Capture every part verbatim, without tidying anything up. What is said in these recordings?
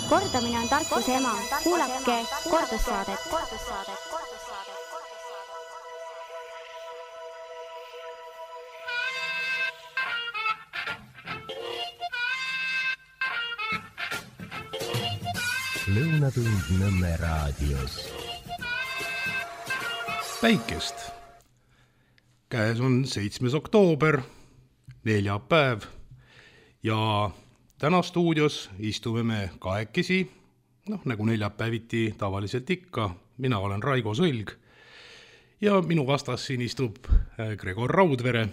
Kordamine on tarkuse ema. Kuulake kordussaadet. Lõunatund Nõmme raadios. Päikest. Käes on seitsmes oktoober, neljapäev ja täna stuudios istume me kahekesi, noh nagu neljapäeviti tavaliselt ikka. Mina olen Raigo Sõlg ja minu vastas siin istub Gregor Raudvere.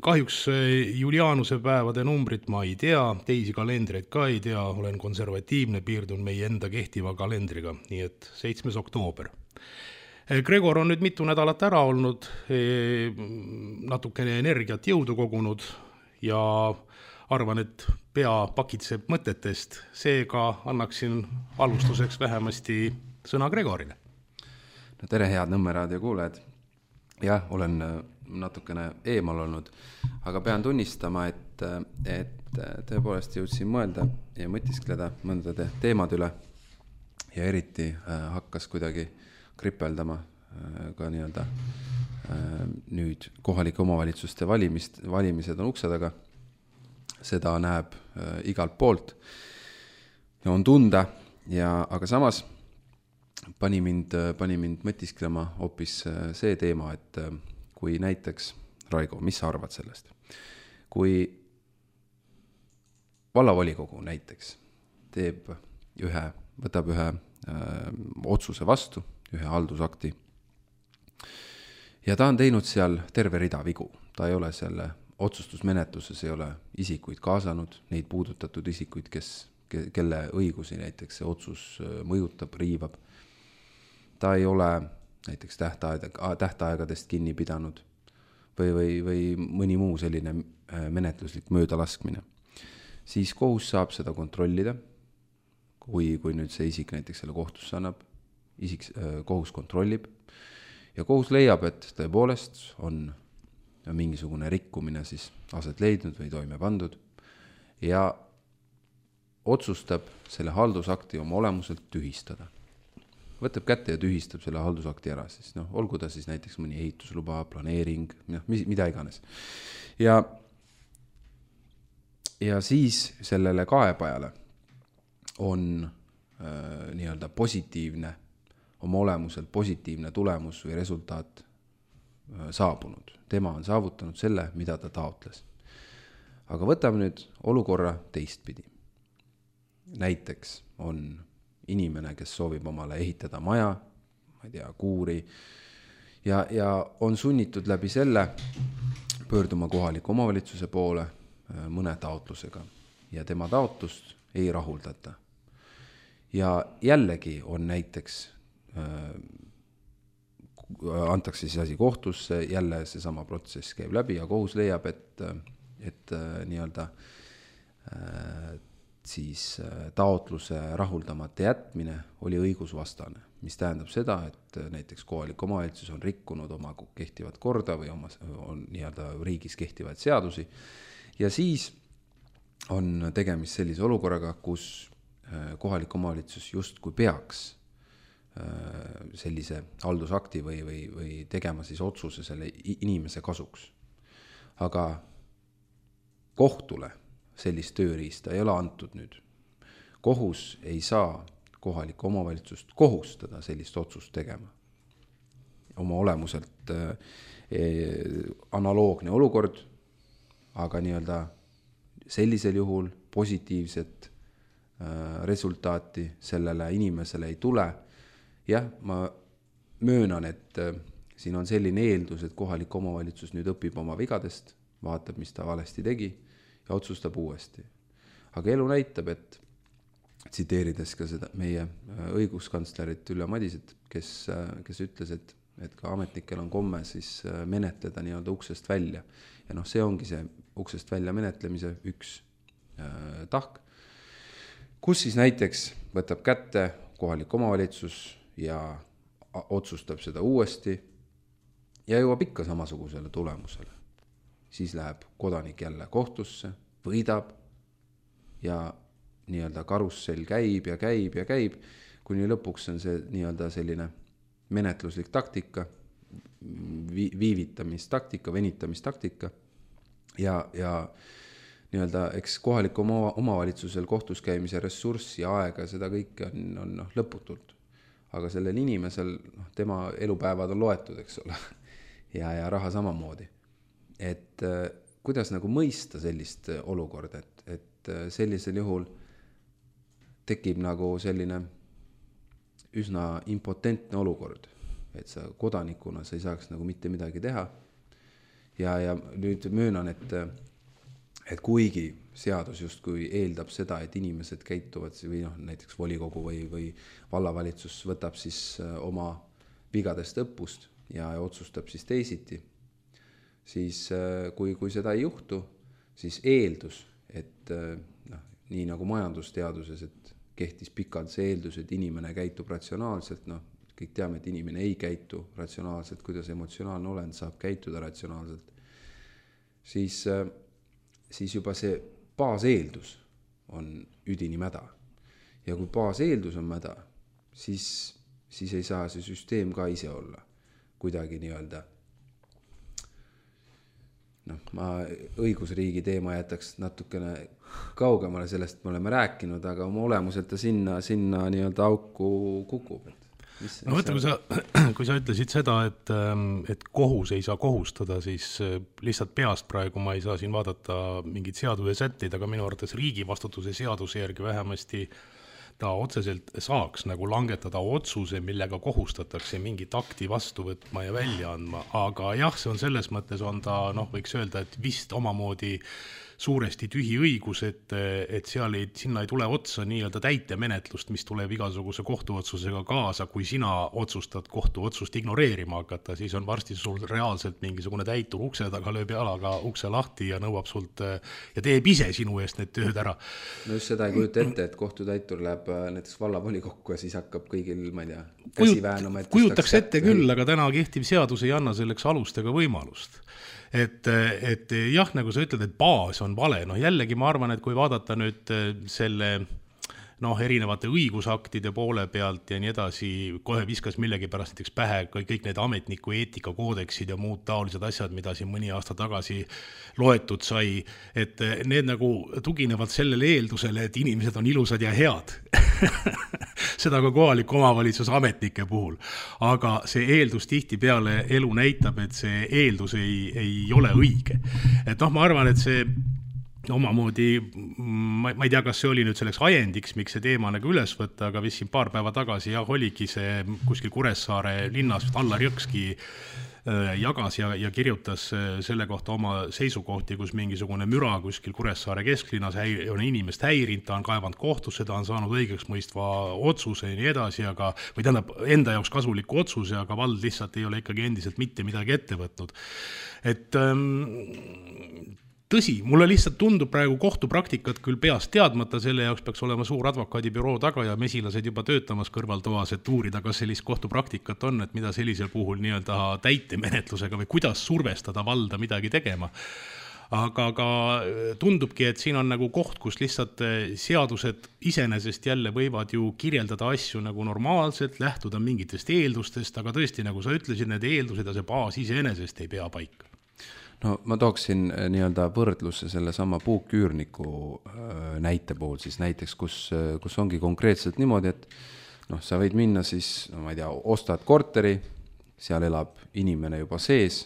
Kahjuks Julianuse päevade numbrit ma ei tea, teisi kalendreid ka ei tea, olen konservatiivne, piirdun meie enda kehtiva kalendriga, nii et seitsmes oktoober. Gregor on nüüd mitu nädalat ära olnud, natukene energiat jõudu kogunud ja arvan, et pea pakitseb mõtetest, seega annaksin alustuseks vähemasti sõna Gregorile. No tere, head Nõmme raadio kuulajad. Jah, olen natukene eemal olnud, aga pean tunnistama, et, et tõepoolest jõudsin mõelda ja mõtiskleda mõndade teemad üle ja eriti hakkas kuidagi kripeldama ka nii-öelda nüüd kohalike omavalitsuste valimist, valimised on ukse taga. Seda näeb igalt poolt ja on tunda, ja, aga samas pani mind, pani mind mõtisklema hoopis see teema, et kui näiteks, Raigo, mis sa arvad sellest? Kui vallavolikogu näiteks teeb ühe, võtab ühe öö, otsuse vastu, ühe haldusakti ja ta on teinud seal terve rida vigu. Ta ei ole selle otsustusmenetluses, ei ole isikuid kaasanud, neid puudutatud isikuid, kes, kelle õigusi näiteks see otsus mõjutab, riivab. Ta ei ole näiteks tähtaega, tähtaegadest kinni pidanud või, või, või mõni muu selline menetluslik möödalaskmine. Siis kohus saab seda kontrollida, kui, kui nüüd see isik näiteks selle kohtusse annab, isik, kohus kontrollib ja kohus leiab, et tõepoolest on mingisugune rikkumine siis aset leidnud või toime pandud ja otsustab selle haldusakti oma olemuselt tühistada. Võtab kätte ja tühistab selle haldusakti ära, siis noh, olgu ta siis näiteks mõni ehitusluba, planeering, mida iganes. Ja, ja siis sellele kaebajale on äh, nii-öelda positiivne, oma olemuselt positiivne tulemus või resultaat äh, saabunud. Tema on saavutanud selle, mida ta taotles. Aga võtame nüüd olukorra teistpidi. Näiteks on inimene, kes soovib omale ehitada maja, ma ei tea, kuuri, ja, ja on sunnitud läbi selle pöörduma kohaliku omavalitsuse poole mõne taotlusega ja tema taotlust ei rahuldata. Ja jällegi on näiteks, äh, antakse siis asi kohtusse, jälle see sama protsess käib läbi ja kohus leiab, et, et äh, nii-öelda äh, siis taotluse rahuldamata jätmine oli õigusvastane, mis tähendab seda, et näiteks kohalik omavalitsus on rikkunud oma kehtivat korda või oma, on nii-öelda riigis kehtivaid seadusi ja siis on tegemist sellise olukorraga, kus kohalik omavalitsus justkui peaks sellise haldusakti või, või, või tegema siis otsuse selle inimese kasuks. Aga kohtule sellist tööriista ei ole antud nüüd. Kohus ei saa kohalikku omavalitsust kohustada sellist otsust tegema. Oma olemuselt eh, analoogne olukord, aga nii-öelda sellisel juhul positiivset äh, resultaati sellele inimesele ei tule. Jah, ma möönan, et äh, siin on selline eeldus, et kohalik omavalitsus nüüd õpib oma vigadest, vaatab, mis ta valesti tegi ja otsustab uuesti. Aga elu näitab, et tsiteerides ka seda meie õiguskantslerit Ülle Madiset, kes, kes ütles, et, et ka ametnikel on komme siis menetleda nii-öelda uksest välja. Ja noh, see ongi see uksest välja menetlemise üks äh, tahk, kus siis näiteks võtab kätte kohalik omavalitsus ja otsustab seda uuesti ja jõuab ikka samasugusele tulemusele. Siis läheb kodanik jälle kohtusse, võidab ja nii-öelda karussell käib ja käib ja käib, kuni lõpuks on see nii-öelda selline menetluslik taktika, vi- viivitamistaktika, venitamistaktika ja, ja nii-öelda eks kohaliku oma, omavalitsusel kohtus käimise ressurssi ja aega, seda kõike on, on noh, lõputult. Aga sellel inimesel, noh, tema elupäevad on loetud, eks ole, ja, ja raha samamoodi. Et kuidas nagu mõista sellist olukorda, et, et sellisel juhul tekib nagu selline üsna impotentne olukord, et sa kodanikuna sa ei saaks nagu mitte midagi teha. Ja, ja nüüd möönan, et, et kuigi seadus justkui eeldab seda, et inimesed käituvad või noh, näiteks volikogu või, või vallavalitsus võtab siis oma vigadest õppust ja otsustab siis teisiti, siis kui, kui seda ei juhtu, siis eeldus, et noh, nii nagu majandusteaduses, et kehtis pikalt see eeldus, et inimene käitub ratsionaalselt, noh, kõik teame, et inimene ei käitu ratsionaalselt, kuidas emotsionaalne olend saab käituda ratsionaalselt, siis, siis juba see baaseeldus on üdini mäda. Ja kui baaseeldus on mäda, siis, siis ei saa see süsteem ka ise olla kuidagi nii-öelda. Noh, ma õigusriigi teema jätaks natukene kaugemale sellest me oleme rääkinud, aga oma olemuselt ta sinna, sinna nii-öelda auku kukub. Mis, no võtta, kui sa, kui sa ütlesid seda, et, et kohus ei saa kohustada, siis lihtsalt peast praegu ma ei saa siin vaadata mingid seaduse sätteid, aga minu arvates riigi vastutuse seaduse järgi vähemasti ta otseselt saaks nagu langetada otsuse, millega kohustatakse mingit akti vastu võtma ja välja andma, aga jah, see on selles mõttes on ta, noh, võiks öelda, et vist omamoodi suuresti tühi õigus, et, et seal ei, sinna ei tule otsa nii-öelda täitemenetlust, mis tuleb igasuguse kohtuotsusega kaasa, kui sina otsustad kohtuotsust ignoreerima hakata, siis on varsti sul reaalselt mingisugune täitur ukse taga, lööb jalaga ukse lahti ja nõuab sult ja teeb ise sinu eest need tööd ära. No just seda ei kujuta ette, et kohtutäitur läheb näiteks vallavolikokku ja siis hakkab kõigil, ma ei tea, käsi väänuma. Kujutaks ette küll, aga täna kehtiv seadus ei anna selleks alust ega võimalust. Et, et jah, nagu sa ütled, et baas on vale, noh jällegi ma arvan, et kui vaadata nüüd selle noh, erinevate õigusaktide poole pealt ja nii edasi, kohe viskas millegi pärast näiteks pähe kõik need ametniku eetikakoodeksid ja muud taolised asjad, mida siin mõni aasta tagasi loetud sai, et need nagu tuginevad sellele eeldusele, et inimesed on ilusad ja head. Seda ka kohaliku omavalitsuse ametnike puhul. Aga see eeldus tihti peale elu näitab, et see eeldus ei, ei ole õige. Et noh, ma arvan, et see omamoodi, ma, ma ei tea, kas see oli nüüd selleks ajendiks, miks see teema nagu üles võtta, aga vist siin paar päeva tagasi jah, oligi see kuskil Kuressaare linnas Allar Jõkski jagas ja, ja kirjutas selle kohta oma seisukohti, kus mingisugune müra kuskil Kuressaare kesklinnas häi, on inimest häirinud, ta on kaevanud kohtusse, ta on saanud õigeks mõistva otsuse ja nii edasi, aga, või tähendab enda jaoks kasuliku otsuse, aga vald lihtsalt ei ole ikkagi endiselt mitte midagi ette võtnud. Et ähm, tõsi, mulle lihtsalt tundub praegu kohtupraktikat küll peast teadmata, selle jaoks peaks olema suur advokaadibüroo taga ja mesilased juba töötamas kõrvaltoas, et uurida, kas sellist kohtupraktikat on, et mida sellisel puhul nii-öelda täitemenetlusega või kuidas survestada valda midagi tegema. Aga ka tundubki, et siin on nagu koht, kus lihtsalt seadused iseenesest jälle võivad ju kirjeldada asju nagu normaalselt, lähtuda mingitest eeldustest, aga tõesti, nagu sa ütlesid, need eeldused ja see baas iseenesest ei pea paika. No ma tooksin nii-öelda võrdlusse selle sama puuküürniku näite puhul, siis näiteks, kus, kus ongi konkreetselt niimoodi, et noh, sa võid minna siis, no ma ei tea, ostad korteri, seal elab inimene juba sees,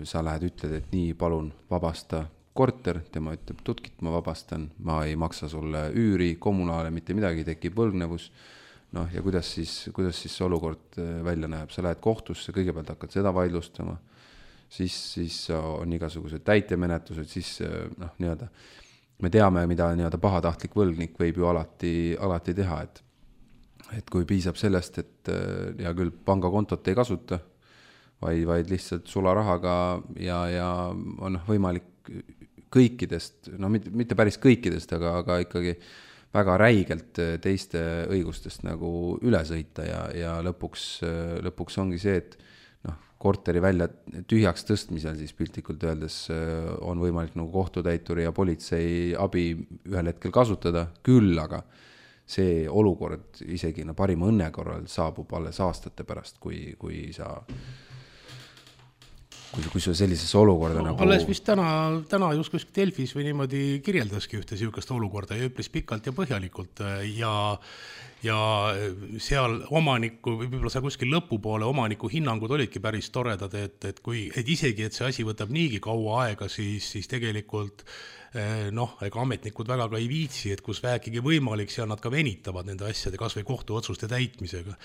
sa lähed, ütled, et nii, palun vabasta korter, tema ütleb, tutkit ma vabastan, ma ei maksa sulle üüri, kommunaale, mitte midagi, tekib võlgnevus, noh ja kuidas siis, kuidas siis see olukord välja näeb, sa lähed kohtusse, kõigepealt hakkad seda vaidlustama, siis, siis on igasugused täitemenetlused, siis noh, nii-öelda, me teame, mida nii-öelda pahatahtlik võlgnik võib ju alati, alati teha, et, et kui piisab sellest, et ja küll pangakontot ei kasuta, vaid, vaid lihtsalt sularahaga ja, ja on võimalik kõikidest, no mitte, mitte päris kõikidest, aga, aga ikkagi väga räigelt teiste õigustest nagu üle sõita ja, ja lõpuks, lõpuks ongi see, et noh, korteri välja tühjaks tõstmisel siis piltlikult öeldes on võimalik nagu kohtutäituri ja politsei abi ühel hetkel kasutada, küll aga see olukord isegi no, parima õnne korral saabub alles aastate pärast, kui, kui sa kui, kui sa sellises olukorda no, nagu... Alles vist täna, täna just kuskil Delfis või niimoodi kirjeldaski ühte siukest olukorda ja üpris pikalt ja põhjalikult ja, ja seal omaniku, võib-olla seal kuskil lõpupoole omaniku hinnangud olidki päris toredad, et, et, kui, et isegi, et see asi võtab niigi kaua aega, siis, siis tegelikult noh, ega ametnikud väga ka ei viitsi, et kus vähegi võimalik, seal nad ka venitavad nende asjade kas või kohtuotsuste täitmisega.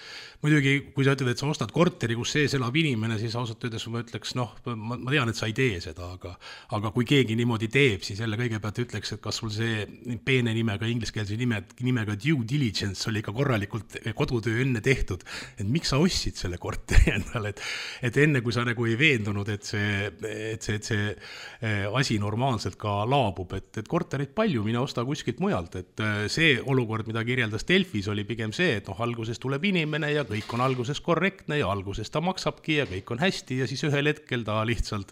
Muidugi, kui sa ütled, et sa ostad korteri, kus sees elab inimene, siis ausalt öeldes ma ütleks, noh, ma, ma tean, et sa ei tee seda, aga, aga kui keegi niimoodi teeb, siis jälle kõigepealt ütleks, et kas sul see peene nimega, ingliskeelse nime, nimega due diligence oli ka korralikult kodutöö enne tehtud, et miks sa ostsid selle korteri endale, et, et enne kui sa nagu ei veendunud, et see, et see, et see asi normaalselt ka laab, et, et korterit palju, mine osta kuskilt mujalt, et see olukord, mida kirjeldas Delfis, oli pigem see, et noh, alguses tuleb inimene ja kõik on alguses korrektne ja alguses ta maksabki ja kõik on hästi ja siis ühel hetkel ta lihtsalt,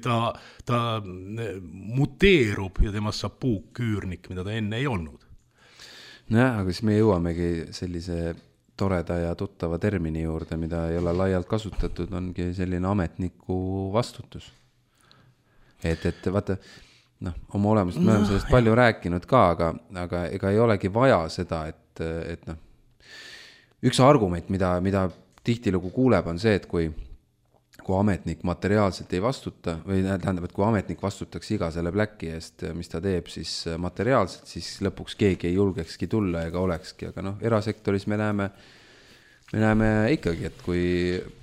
ta, ta muteerub ja temast saab puukküürnik, mida ta enne ei olnud. Nojah, aga siis me jõuamegi sellise toreda ja tuttava termini juurde, mida ei ole laialt kasutatud, ongi selline ametniku vastutus. Et, et vaata, noh, oma olemust me oleme sellest palju rääkinud ka, aga, aga ega ei olegi vaja seda, et, et noh, üks argument, mida, mida tihtilugu kuuleb, on see, et kui, kui ametnik materiaalselt ei vastuta, või tähendab, et kui ametnik vastutaks iga selle pläki eest, mis ta teeb siis materiaalselt, siis lõpuks keegi ei julgekski tulla ega olekski, aga noh, erasektoris me näeme, me näeme ikkagi, et kui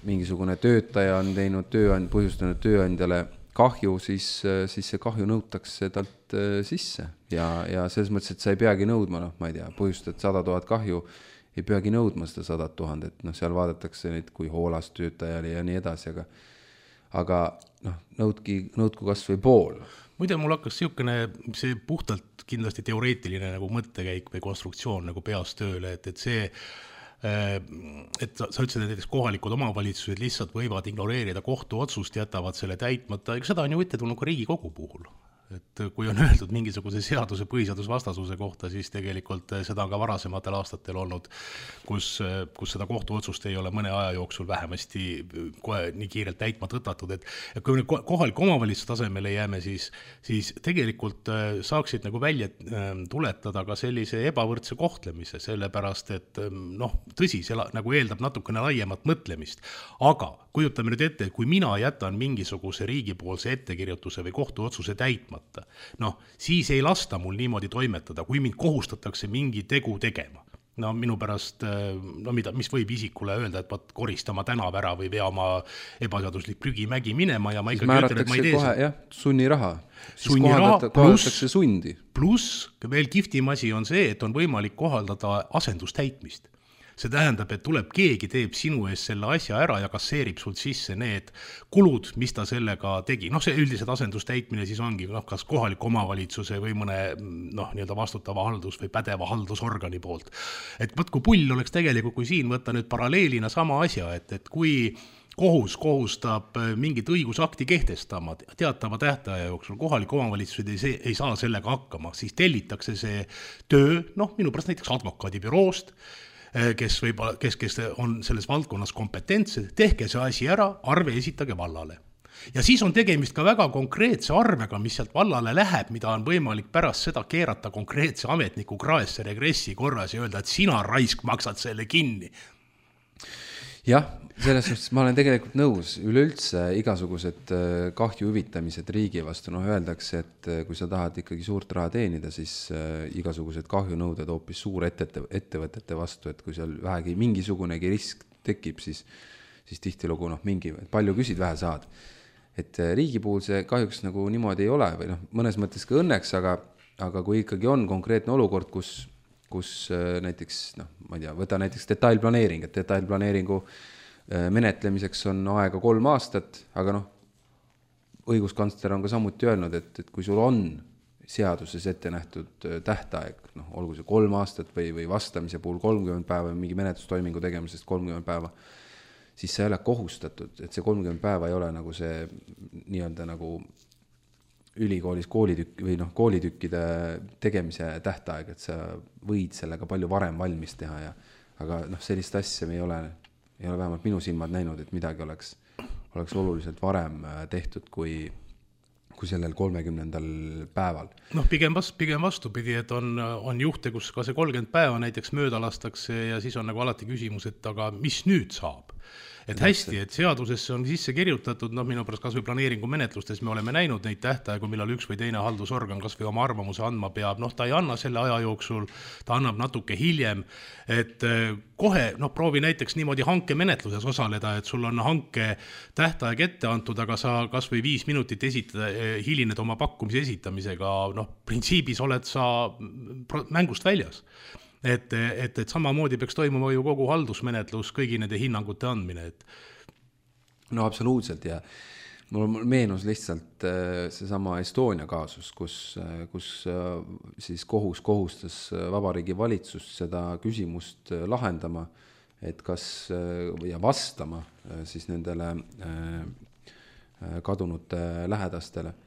mingisugune töötaja on teinud tööand, põhjustanud tööandjale kahju, siis, siis see kahju nõutakse talt sisse ja, ja selles mõttes, et sa ei peagi nõudma, noh, ma ei tea, põhjustad sada tuhat kahju, ei peagi nõudma seda sada tuhandet, noh, seal vaadatakse neid kui hoolas töötajale ja nii edasi, aga, aga noh, nõudki, nõudku kas või pool. Muide, mul hakkas siukene, see puhtalt kindlasti teoreetiline nagu mõttekäik või konstruktsioon nagu peas tööle, et, et see et sa, sa ütlesid, et näiteks kohalikud omavalitsused lihtsalt võivad ignoreerida kohtuotsust, jätavad selle täitmata, ega seda on ju ette tulnud ka Riigikogu puhul. Et kui on öeldud mingisuguse seaduse põhiseadusvastasuse kohta, siis tegelikult seda on ka varasematel aastatel olnud, kus, kus seda kohtuotsust ei ole mõne aja jooksul vähemasti kohe nii kiirelt täitma tõtatud. Et, et kui me kohaliku omavalitsuse tasemele jääme, siis, siis tegelikult saaksid nagu välja tuletada ka sellise ebavõrdse kohtlemise, sellepärast et noh, tõsi, see nagu eeldab natukene laiemat mõtlemist, aga kujutame nüüd ette, et kui mina jätan mingisuguse riigipoolse ettekirjutuse või kohtuotsuse täitma, noh, siis ei lasta mul niimoodi toimetada, kui mind kohustatakse mingi tegu tegema. No minu pärast, no mida, mis võib isikule öelda, et vaat koristama tänav ära või vea oma ebaseaduslik prügimägi minema ja ma ikkagi ütlen, et ma ei tee kohe, jah, sunniraha. Sunniraha pluss, sundi. Pluss veel kihvtim asi on see, et on võimalik kohaldada asendustäitmist. See tähendab, et tuleb keegi teeb sinu ees selle asja ära ja kasseerib sult sisse need kulud, mis ta sellega tegi. Noh, see üldiselt asendustäitmine siis ongi noh, kas kohaliku omavalitsuse või mõne noh, nii-öelda vastutava haldus- või pädeva haldusorgani poolt. Et võt, kui pull oleks tegelikult, kui siin võtta nüüd paralleelina sama asja, et, et kui kohus kohustab mingit õigusakti kehtestama teatava tähtaja jooksul, kohalik omavalitsused ei, ei saa sellega hakkama, siis tellitakse see töö, noh, minu pärast näiteks advokaadibüroost, kes, võib, kes, kes on selles valdkonnas kompetentsed, tehke see asi ära, arve esitage vallale. Ja siis on tegemist ka väga konkreetse arvega, mis sealt vallale läheb, mida on võimalik pärast seda keerata konkreetse ametniku kraesse regressi korras ja öelda, et sina raisk maksad selle kinni. Jah, selles suhtes ma olen tegelikult nõus, üleüldse igasugused kahju hüvitamised riigi vastu, noh öeldakse, et kui sa tahad ikkagi suurt raha teenida, siis igasugused kahjunõuded hoopis suur ette, ettevõtete vastu, et kui seal vähegi mingisugunegi risk tekib, siis, siis tihtilugu noh, mingi, palju küsid, vähe saad. Et riigi puhul see kahjuks nagu niimoodi ei ole, või noh, mõnes mõttes ka õnneks, aga, aga kui ikkagi on konkreetne olukord, kus kus näiteks, noh, ma ei tea, võta näiteks detailplaneering, et detailplaneeringu menetlemiseks on aega kolm aastat, aga noh, õiguskantsler on ka samuti öelnud, et, et kui sul on seaduses ette nähtud tähtaeg, noh, olgu see kolm aastat või, või vastamise puhul kolmkümmend päeva, mingi menetlustoimingu tegemisest kolmkümmend päeva, siis sa ei ole kohustatud, et see kolmkümmend päeva ei ole nagu see nii-öelda nagu ülikoolis koolitükk või noh, koolitükkide tegemise tähtaeg, et sa võid sellega palju varem valmis teha ja aga noh, sellist asja me ei ole, ei ole vähemalt minu silmad näinud, et midagi oleks, oleks oluliselt varem tehtud kui, kui sellel kolmekümnendal päeval. Noh, pigem, vast, pigem vastupidi, et on, on juhte, kus ka see kolmkümmend päeva näiteks mööda lastakse ja siis on nagu alati küsimus, et aga mis nüüd saab? Et hästi, et seadusesse on sisse kirjutatud, noh minu pärast kas või planeeringu menetlustes me oleme näinud neid tähtaegu, millal üks või teine haldusorgan kas või oma arvamuse andma peab, noh ta ei anna selle aja jooksul, ta annab natuke hiljem, et kohe, noh proovi näiteks niimoodi hanke menetluses osaleda, et sul on hanke tähtaeg ette antud, aga sa kas või viis minutit esitada, hilined oma pakkumise esitamisega, noh printsiibis oled sa mängust väljas. Et, et, et samamoodi peaks toimuma ju kogu haldusmenetlus, kõigi nende hinnangute andmine. Et... No absoluutselt ja mul meenus lihtsalt seesama Estonia kaasus, kus, kus siis kohus kohustas Vabariigi valitsust seda küsimust lahendama, et kas ja vastama siis nendele kadunute lähedastele.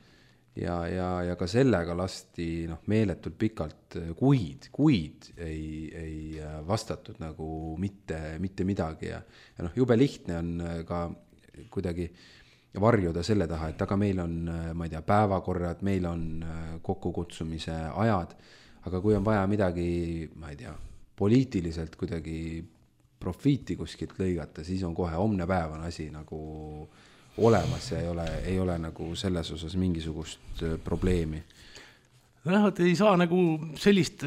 Ja, ja, ja ka sellega lasti noh, meeletult pikalt kuid, kuid ei, ei vastatud nagu mitte, mitte midagi ja, ja noh, jube lihtne on ka kuidagi varjuda selle taha, et aga meil on, ma ei tea, päevakorrad, meil on kokkukutsumise ajad, aga kui on vaja midagi, ma ei tea, poliitiliselt kuidagi profiiti kuskilt lõigata, siis on kohe homne päev on asi nagu olemas ja ei ole, ei ole nagu selles osas mingisugust probleemi. Noh, et ei saa nagu sellist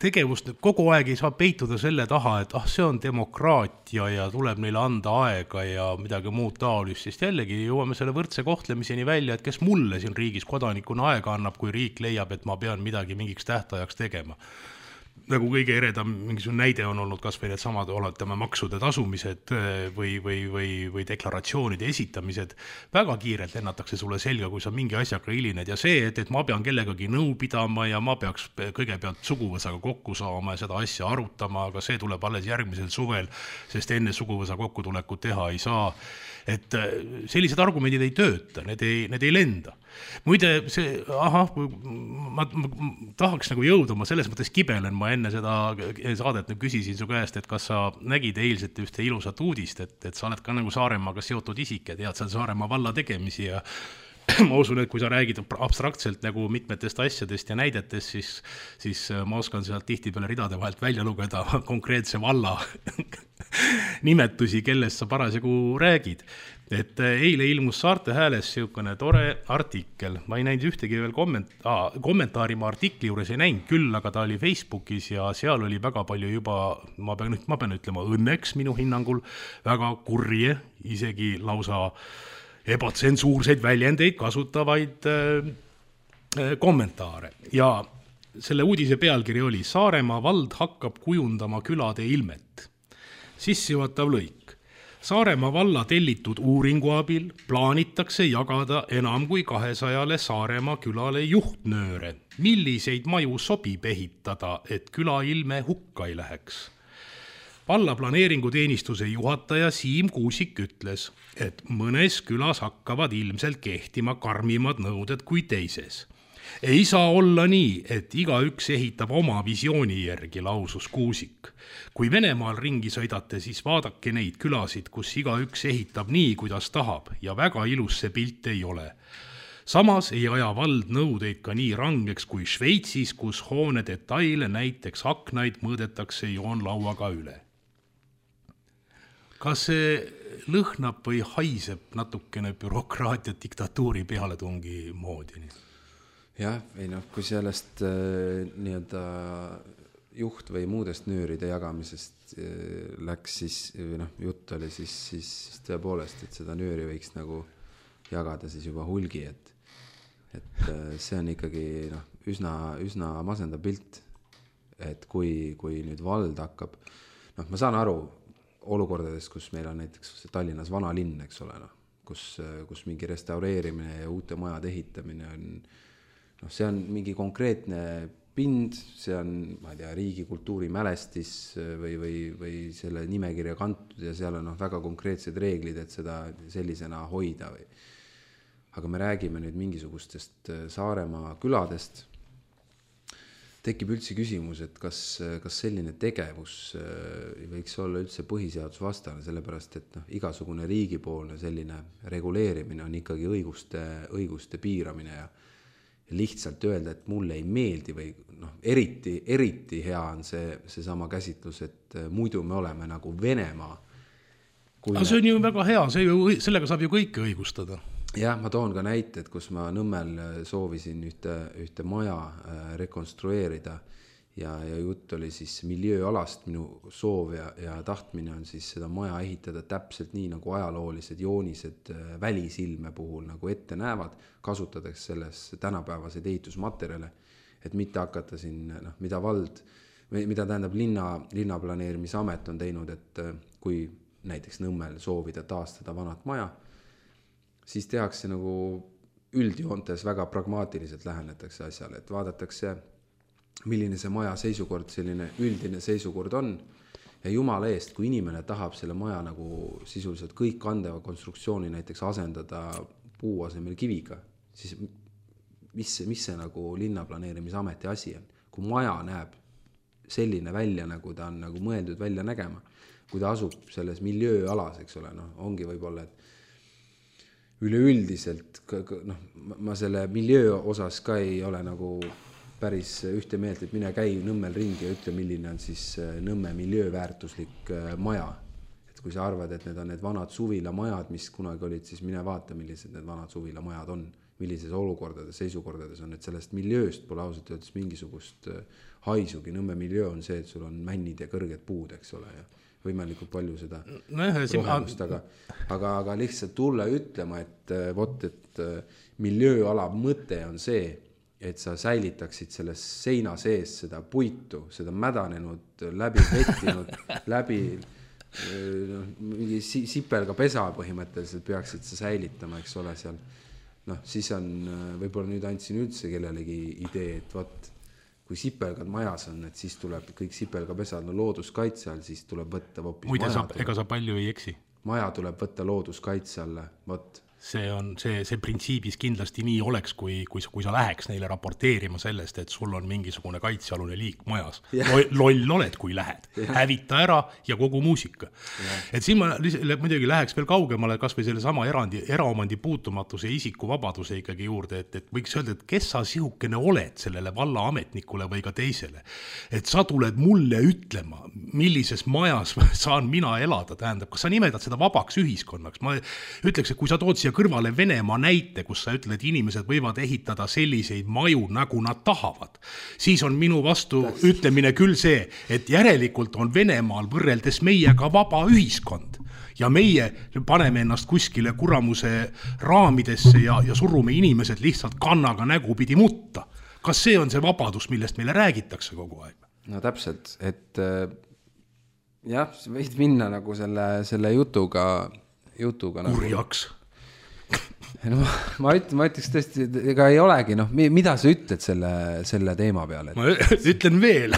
tegevust, kogu aeg ei saa peituda selle taha, et ah, see on demokraatia ja tuleb neile anda aega ja midagi muud taolist, sest jällegi jõuame selle võrdse kohtlemiseni välja, et kes mulle siin riigis kodanikuna aega annab, kui riik leiab, et ma pean midagi mingiks tähtajaks tegema. Nagu kõige eredam mingisugune näide on olnud kas või need samad oletame maksude tasumised või, või, või, või deklaratsioonide esitamised. Väga kiirelt lennatakse sulle selga, kui sa mingi asjaga hilined ja see, et, et ma pean kellegagi nõu pidama ja ma peaks kõigepealt suguvõsaga kokku saama ja seda asja arutama, aga see tuleb alles järgmisel suvel, sest enne suguvõsa kokkutulekut teha ei saa. Et sellised argumendid ei tööta, need ei, need ei lenda. Muide, see, aha, ma, ma tahaks nagu jõuda, ma selles mõttes kibelen, ma enne seda saadet nüüd küsisin su käest, et kas sa nägid eilset ühte ilusat uudist, et, et sa oled ka nagu Saaremaaga seotud isik ja tead seal Saaremaa valla tegemisi ja ma usun, et kui sa räägid abstraktselt nagu mitmetest asjadest ja näidetest, siis, siis ma oskan sealt tihtipeale ridade vahelt välja lugeda konkreetse valla nimetusi, kellest sa parasjagu räägid. Et eile ilmus Saarte Hääles siukene tore artikkel, ma ei näinud ühtegi veel komment- ah, kommentaari ma artikli juures ei näinud küll, aga ta oli Facebookis ja seal oli väga palju juba, ma pean, ma pean ütlema õnneks minu hinnangul, väga kurje, isegi lausa ebatsensuurseid väljendeid kasutavaid äh, kommentaare. Ja selle uudise pealkiri oli Saaremaa vald hakkab kujundama külade ilmet. Sissejuhatav lõik. Saaremaa valla tellitud uuringu abil plaanitakse jagada enam kui kahesajale Saaremaa külale juhtnööre, milliseid maju sobib ehitada, et küla ilme hukka ei läheks. Valla planeeringuteenistuse juhataja Siim Kuusik ütles, et mõnes külas hakkavad ilmselt kehtima karmimad nõuded kui teises. Ei saa olla nii, et igaüks ehitab oma visiooni järgi, lausus Kuusik. Kui Venemaal ringi sõidate, siis vaadake neid külasid, kus igaüks ehitab nii, kuidas tahab ja väga ilus see pilt ei ole. Samas ei aja vald nõudeid ka nii rangeks kui Šveitsis, kus hoone detaile, näiteks aknaid, mõõdetakse joonlauaga üle. Kas see lõhnab või haiseb natukene bürokraatia diktatuuri pealetungi moodi? Jah, ei noh, kui sellest äh, nii-öelda juht või muudest nööride jagamisest äh, läks, siis või noh, jutt oli siis, siis, siis tõepoolest, et seda nööri võiks nagu jagada siis juba hulgi, et, et äh, see on ikkagi noh, üsna, üsna masenda pilt, et kui, kui nüüd vald hakkab, noh, ma saan aru olukordadest, kus meil on näiteks Tallinnas vana linn, eks ole, noh, kus, kus mingi restaureerimine ja uute majade ehitamine on noh, see on mingi konkreetne pind, see on, ma ei tea, riigi kultuurimälestis või, või, või selle nimekirja kantud ja seal on noh, väga konkreetsed reeglid, et seda sellisena hoida või. Aga me räägime nüüd mingisugustest Saaremaa küladest. Tekib üldse küsimus, et kas, kas selline tegevus võiks olla üldse põhiseadusvastane, sellepärast et noh, igasugune riigipoolne selline reguleerimine on ikkagi õiguste, õiguste piiramine ja lihtsalt öelda, et mulle ei meeldi või noh, eriti, eriti hea on see, see sama käsitlus, et muidu me oleme nagu Venemaa. Aga see on ju väga hea, see ju, sellega saab ju kõike õigustada. Jah, ma toon ka näited, kus ma Nõmmel soovisin ühte, ühte maja rekonstrueerida ja, ja jutt oli siis miljööalast, minu soov ja, ja tahtmine on siis seda maja ehitada täpselt nii, nagu ajaloolised joonised välisilme puhul nagu ette näevad, kasutades selles tänapäevaseid ehitusmaterjale, et mitte hakata siin, noh, mida vald, mida tähendab linna, linnaplaneerimisamet on teinud, et kui näiteks Nõmmel soovida taastada vanat maja, siis tehakse nagu üldjoontes väga pragmaatiliselt lähenetakse asjale, et vaadatakse, milline see maja seisukord, selline üldine seisukord on ja jumala eest, kui inimene tahab selle maja nagu sisuliselt kõik kandeva konstruktsiooni näiteks asendada puu asemel kiviga, siis mis, mis see nagu linnaplaneerimisameti asi on? Kui maja näeb selline välja, nagu ta on nagu mõeldud välja nägema, kui ta asub selles miljööalas, eks ole, noh, ongi võib-olla, et üleüldiselt, noh, ma selle miljöö osas ka ei ole nagu päris ühte meelt, et mine käi Nõmmel ringi ja ütle, milline on siis Nõmme miljööväärtuslik maja. Et kui sa arvad, et need on need vanad suvilamajad, mis kunagi olid, siis mine vaata, millised need vanad suvilamajad on, millises olukordades, seisukordades on, et sellest miljööst pole ausalt öeldes mingisugust haisugi. Nõmme miljöö on see, et sul on männid ja kõrged puud, eks ole, ja võimalikult palju seda no, rohemust, aga, aga, aga lihtsalt tulla ütlema, et vot, et miljööala mõte on see, et sa säilitaksid selles seina sees seda puitu, seda mädanenud, läbi vettinud, läbi no, mingi sipelga pesa põhimõtteliselt peaksid sa säilitama, eks ole seal. Noh, siis on, võib-olla nüüd andsin üldse kellelegi idee, et vot, kui sipelgad majas on, et siis tuleb kõik sipelgapesad no looduskaitse all, siis tuleb võtta hoopis muide, maja. Saab, ega sa palju ei eksi. Maja tuleb võtta looduskaitse alla, vot. See on, see, see printsiibis kindlasti nii oleks, kui, kui, kui sa läheks neile raporteerima sellest, et sul on mingisugune kaitsealune liik majas. Yeah. Loll oled, kui lähed. Yeah. Hävita ära ja kogu muusika. Yeah. Et siin ma muidugi läheks veel kaugemale kas või selle sama erandi, eraomandi puutumatuse ja isikuvabaduse ikkagi juurde, et, et võiks öelda, et kes sa sihukene oled sellele valla ametnikule või ka teisele. Et sa tuled mulle ütlema, millises majas saan mina elada, tähendab, kas sa nimetad seda vabaks ühiskonnaks? Ma ütleks, et kui sa tood siia kõrvale Venemaa näite, kus sa ütled, et inimesed võivad ehitada selliseid maju, nagu nad tahavad, siis on minu vastu ütlemine küll see, et järelikult on Venemaal võrreldes meiega vaba ühiskond ja meie paneme ennast kuskile kuramuse raamidesse ja, ja surume inimesed lihtsalt kannaga nägupidi mutta. Kas see on see vabadus, millest meile räägitakse kogu aeg? No täpselt, et jah, võid minna nagu selle, selle jutuga, jutuga kurjaks. Nagu No, ma, üt, ma ütleks tõesti, ega ei olegi, noh, mida sa ütled selle, selle teema peale? Ma ütlen veel.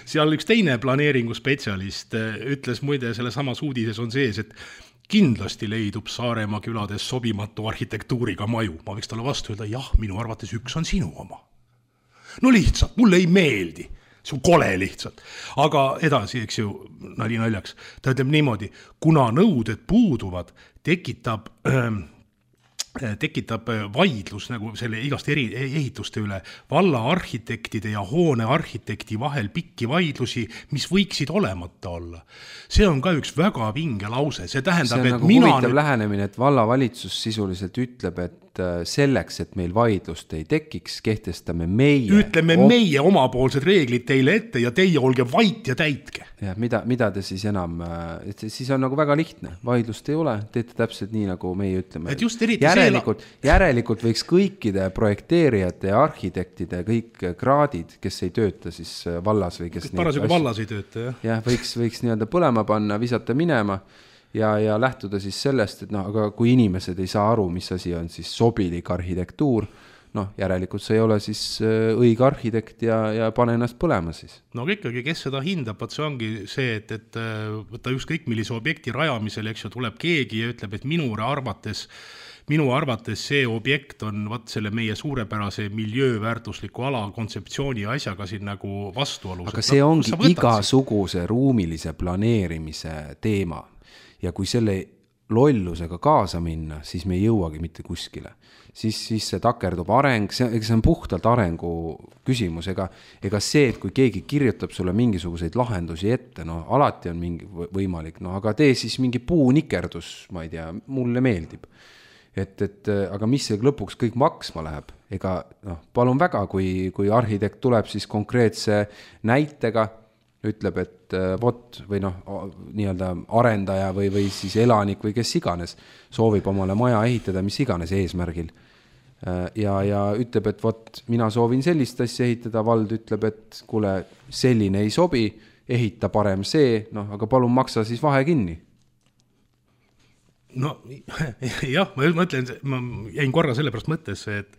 Seal üks teine planeeringuspetsialist ütles muide, selle samas uudises on sees, et kindlasti leidub Saaremaa külades sobimatu arhitektuuriga maju. Ma võiks talle vastu öelda, jah, minu arvates üks on sinu oma. No lihtsalt, mulle ei meeldi. See on kole lihtsalt. Aga edasi, eks ju, nali naljaks. Ta ütleb niimoodi, kuna nõuded puuduvad, tekitab... Ähm, tekitab vaidlus nagu selle igast eri ehituste üle valla arhitektide ja hoone arhitekti vahel pikki vaidlusi, mis võiksid olemata olla. See on ka üks väga vinge lause. See tähendab, see on et nagu mina huvitav nüüd... lähenemine, et vallavalitsus sisuliselt ütleb, et selleks, et meil vaidlust ei tekiks, kehtestame meie... Ütleme o... meie omapoolsed reeglid teile ette ja teie olge vait ja täitke. Ja, mida, mida te siis enam... Et siis on nagu väga lihtne. Vaidlust ei ole, teete täpselt nii, nagu meie ütleme. Et just eriti järelikult, see... järelikult võiks kõikide projekteerijate ja arhitektide kõik kraadid, kes ei tööta siis vallas või kes... Parasjagu vallas ei tööta, jah. Ja, võiks, võiks nii-öelda põlema panna, visata minema ja, ja lähtuda siis sellest, et no, aga kui inimesed ei saa aru, mis asi on siis sobilik arhitektuur, noh, järelikult see ei ole siis õige arhitekt ja, ja pane ennast põlema siis. No aga ikkagi, kes seda hindab, võt see ongi see, et, et võtta ükskõik millise objekti rajamisel, eks ju, tuleb keegi ja ütleb, et minu arvates minu arvates see objekt on vaat selle meie suurepärase miljööväärtusliku ala kontseptsiooni asjaga siin nagu vastuolus. Aga see ongi no, igasuguse siin ruumilise planeerimise teema ja kui selle lollusega kaasa minna, siis me ei jõuagi mitte kuskile. Siis, siis see takerdub areng, see, see on puhtalt arengu küsimus, ega, ega see, et kui keegi kirjutab sulle mingisuguseid lahendusi ette, no alati on mingi võimalik, no aga tee siis mingi puunikerdus, ma ei tea, mulle meeldib. Et, et aga mis see lõpuks kõik maksma läheb, ega noh, palun väga, kui, kui arhitekt tuleb siis konkreetse näitega, ütleb, et vot või noh, nii-öelda arendaja või, või siis elanik või kes iganes soovib omale maja ehitada, mis iganes eesmärgil. Ja, ja ütleb, et vot mina soovin sellist asja ehitada, vald ütleb, et kuule, selline ei sobi, ehita parem see, noh, aga palun maksa siis vahe kinni. No jah, ma mõtlen, ma jäin korra sellepärast mõttesse, et,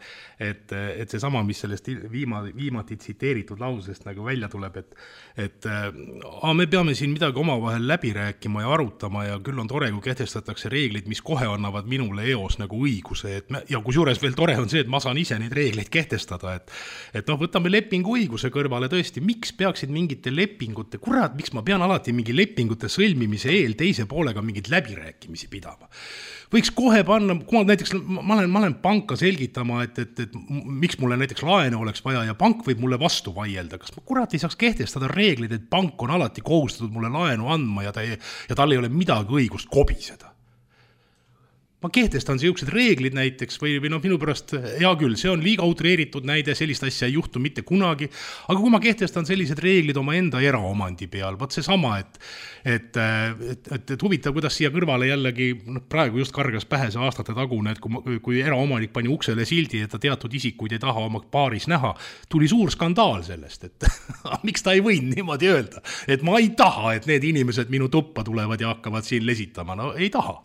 et, et see sama, mis sellest viima, viimati tsiteeritud lausest nagu välja tuleb, et, et a, me peame siin midagi omavahel läbi rääkima ja arutama ja küll on tore, kui kehtestatakse reeglid, mis kohe annavad minule eos nagu õiguse, et me, ja kus juures veel tore on see, et ma saan ise neid reegleid kehtestada, et, et noh, võtame lepingu õiguse kõrvale tõesti, miks peaksid mingite lepingute, kurat, miks ma pean alati mingi lepingute sõlmimise eel teise poolega mingid läbirääkimisi pidama. Võiks kohe panna, kui ma näiteks, ma olen, ma olen panka selgitama, et, et, et miks mulle näiteks laenu oleks vaja ja pank võib mulle vastu vaielda. Kas ma kurat ei saaks kehtestada reeglid, et pank on alati kohustatud mulle laenu andma ja, ta ei, ja tal ei ole midagi õigust kobiseda? Ma kehtestan siuksed reeglid näiteks või, või noh, minu pärast, hea küll, see on liiga utreeritud näide, sellist asja ei juhtu mitte kunagi, aga kui ma kehtestan sellised reeglid oma enda eraomandi peal, võt see sama, et, et, et, et, et huvitav, kuidas siia kõrvale jällegi, noh, praegu just kargas pähe see aastate tagune, et kui, kui eraomanik pani uksele sildi, et ta teatud isikuid ei taha oma paaris näha, tuli suur skandaal sellest, et miks ta ei võinud niimoodi öelda, et ma ei taha, et need inimesed minu tuppa tulevad ja hakkavad siin lesitama, no ei taha.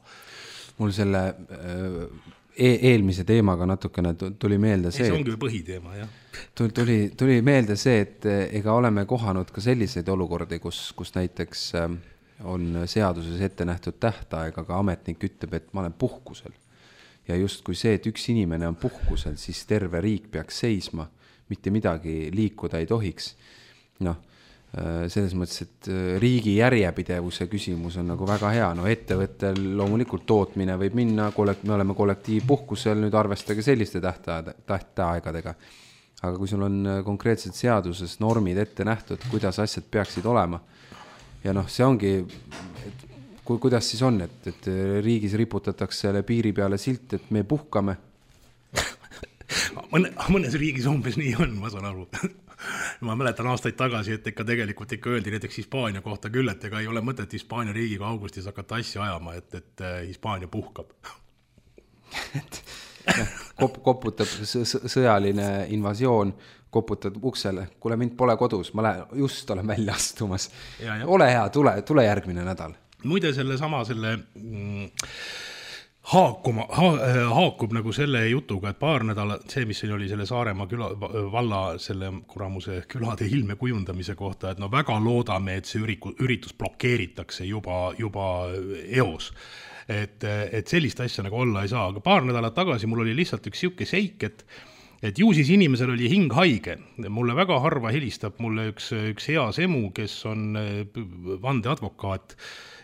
Mul selle e- eelmise teemaga natukene tuli meelde see, see ongi põhiteema, jah. Tuli, tuli meelde see, et ega oleme kohanud ka selliseid olukordi, kus, kus näiteks on seaduses ette nähtud tähtaeg, aga ametnik ütleb, et ma olen puhkusel. Ja just kui see, et üks inimene on puhkusel, siis terve riik peaks seisma, mitte midagi liikuda ei tohiks. Noh, selles mõttes, et riigi järjepidevuse küsimus on nagu väga hea, no ettevõttel loomulikult tootmine võib minna, me oleme kollektiivpuhkusel, nüüd arvestage selliste tähtaegadega, aga kui sul on konkreetselt seaduses normid ette nähtud, kuidas asjad peaksid olema ja noh, see ongi, et, ku, kuidas siis on, et, et riigis riputatakse selle piiri peale silt, et me puhkame. Mõne, mõnes riigis umbes nii on, ma saan aru. Ma mäletan aastaid tagasi, et ikka tegelikult ikka öeldi näiteks Hispaania kohta küll, et ega ei ole mõtet Hispaania riigiga augustis hakata asja ajama, et, et Hispaania puhkab. Kop, koputab sõjaline invasioon, koputab uksele, kuule mind pole kodus, ma lähen, just olen välja astumas. Ja, ja. Ole hea, tule, tule järgmine nädal. Muide selle sama selle... Mm, Haakuma, ha, haakub nagu selle jutuga, et paar nädala, see, mis oli selle Saaremaa küla, valla selle kuramuse külade ilme kujundamise kohta, et no väga loodame, et see üriku, üritus blokeeritakse juba, juba eos. Et, et sellist asja nagu olla ei saa, aga paar nädalat tagasi mul oli lihtsalt üks siuke seik, et et ju siis inimesel oli hing haige. Mulle väga harva helistab mulle üks, üks heas emu, kes on vandeadvokaat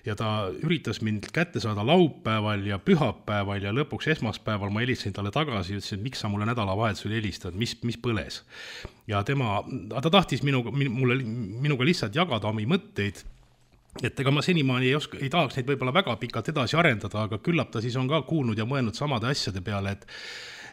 ja ta üritas mind kätte saada laupäeval ja pühapäeval ja lõpuks esmaspäeval ma helistasin talle tagasi ja ütlesin, et miks sa mulle nädalavahetusel helistad, mis, mis põles. Ja tema, ta tahtis minuga, mulle, minuga lihtsalt jagada omi mõtteid, et ega ma senimaani ei, oska, ei tahaks neid võib-olla väga pikalt edasi arendada, aga küllap ta siis on ka kuulnud ja mõelnud samade asjade peale, et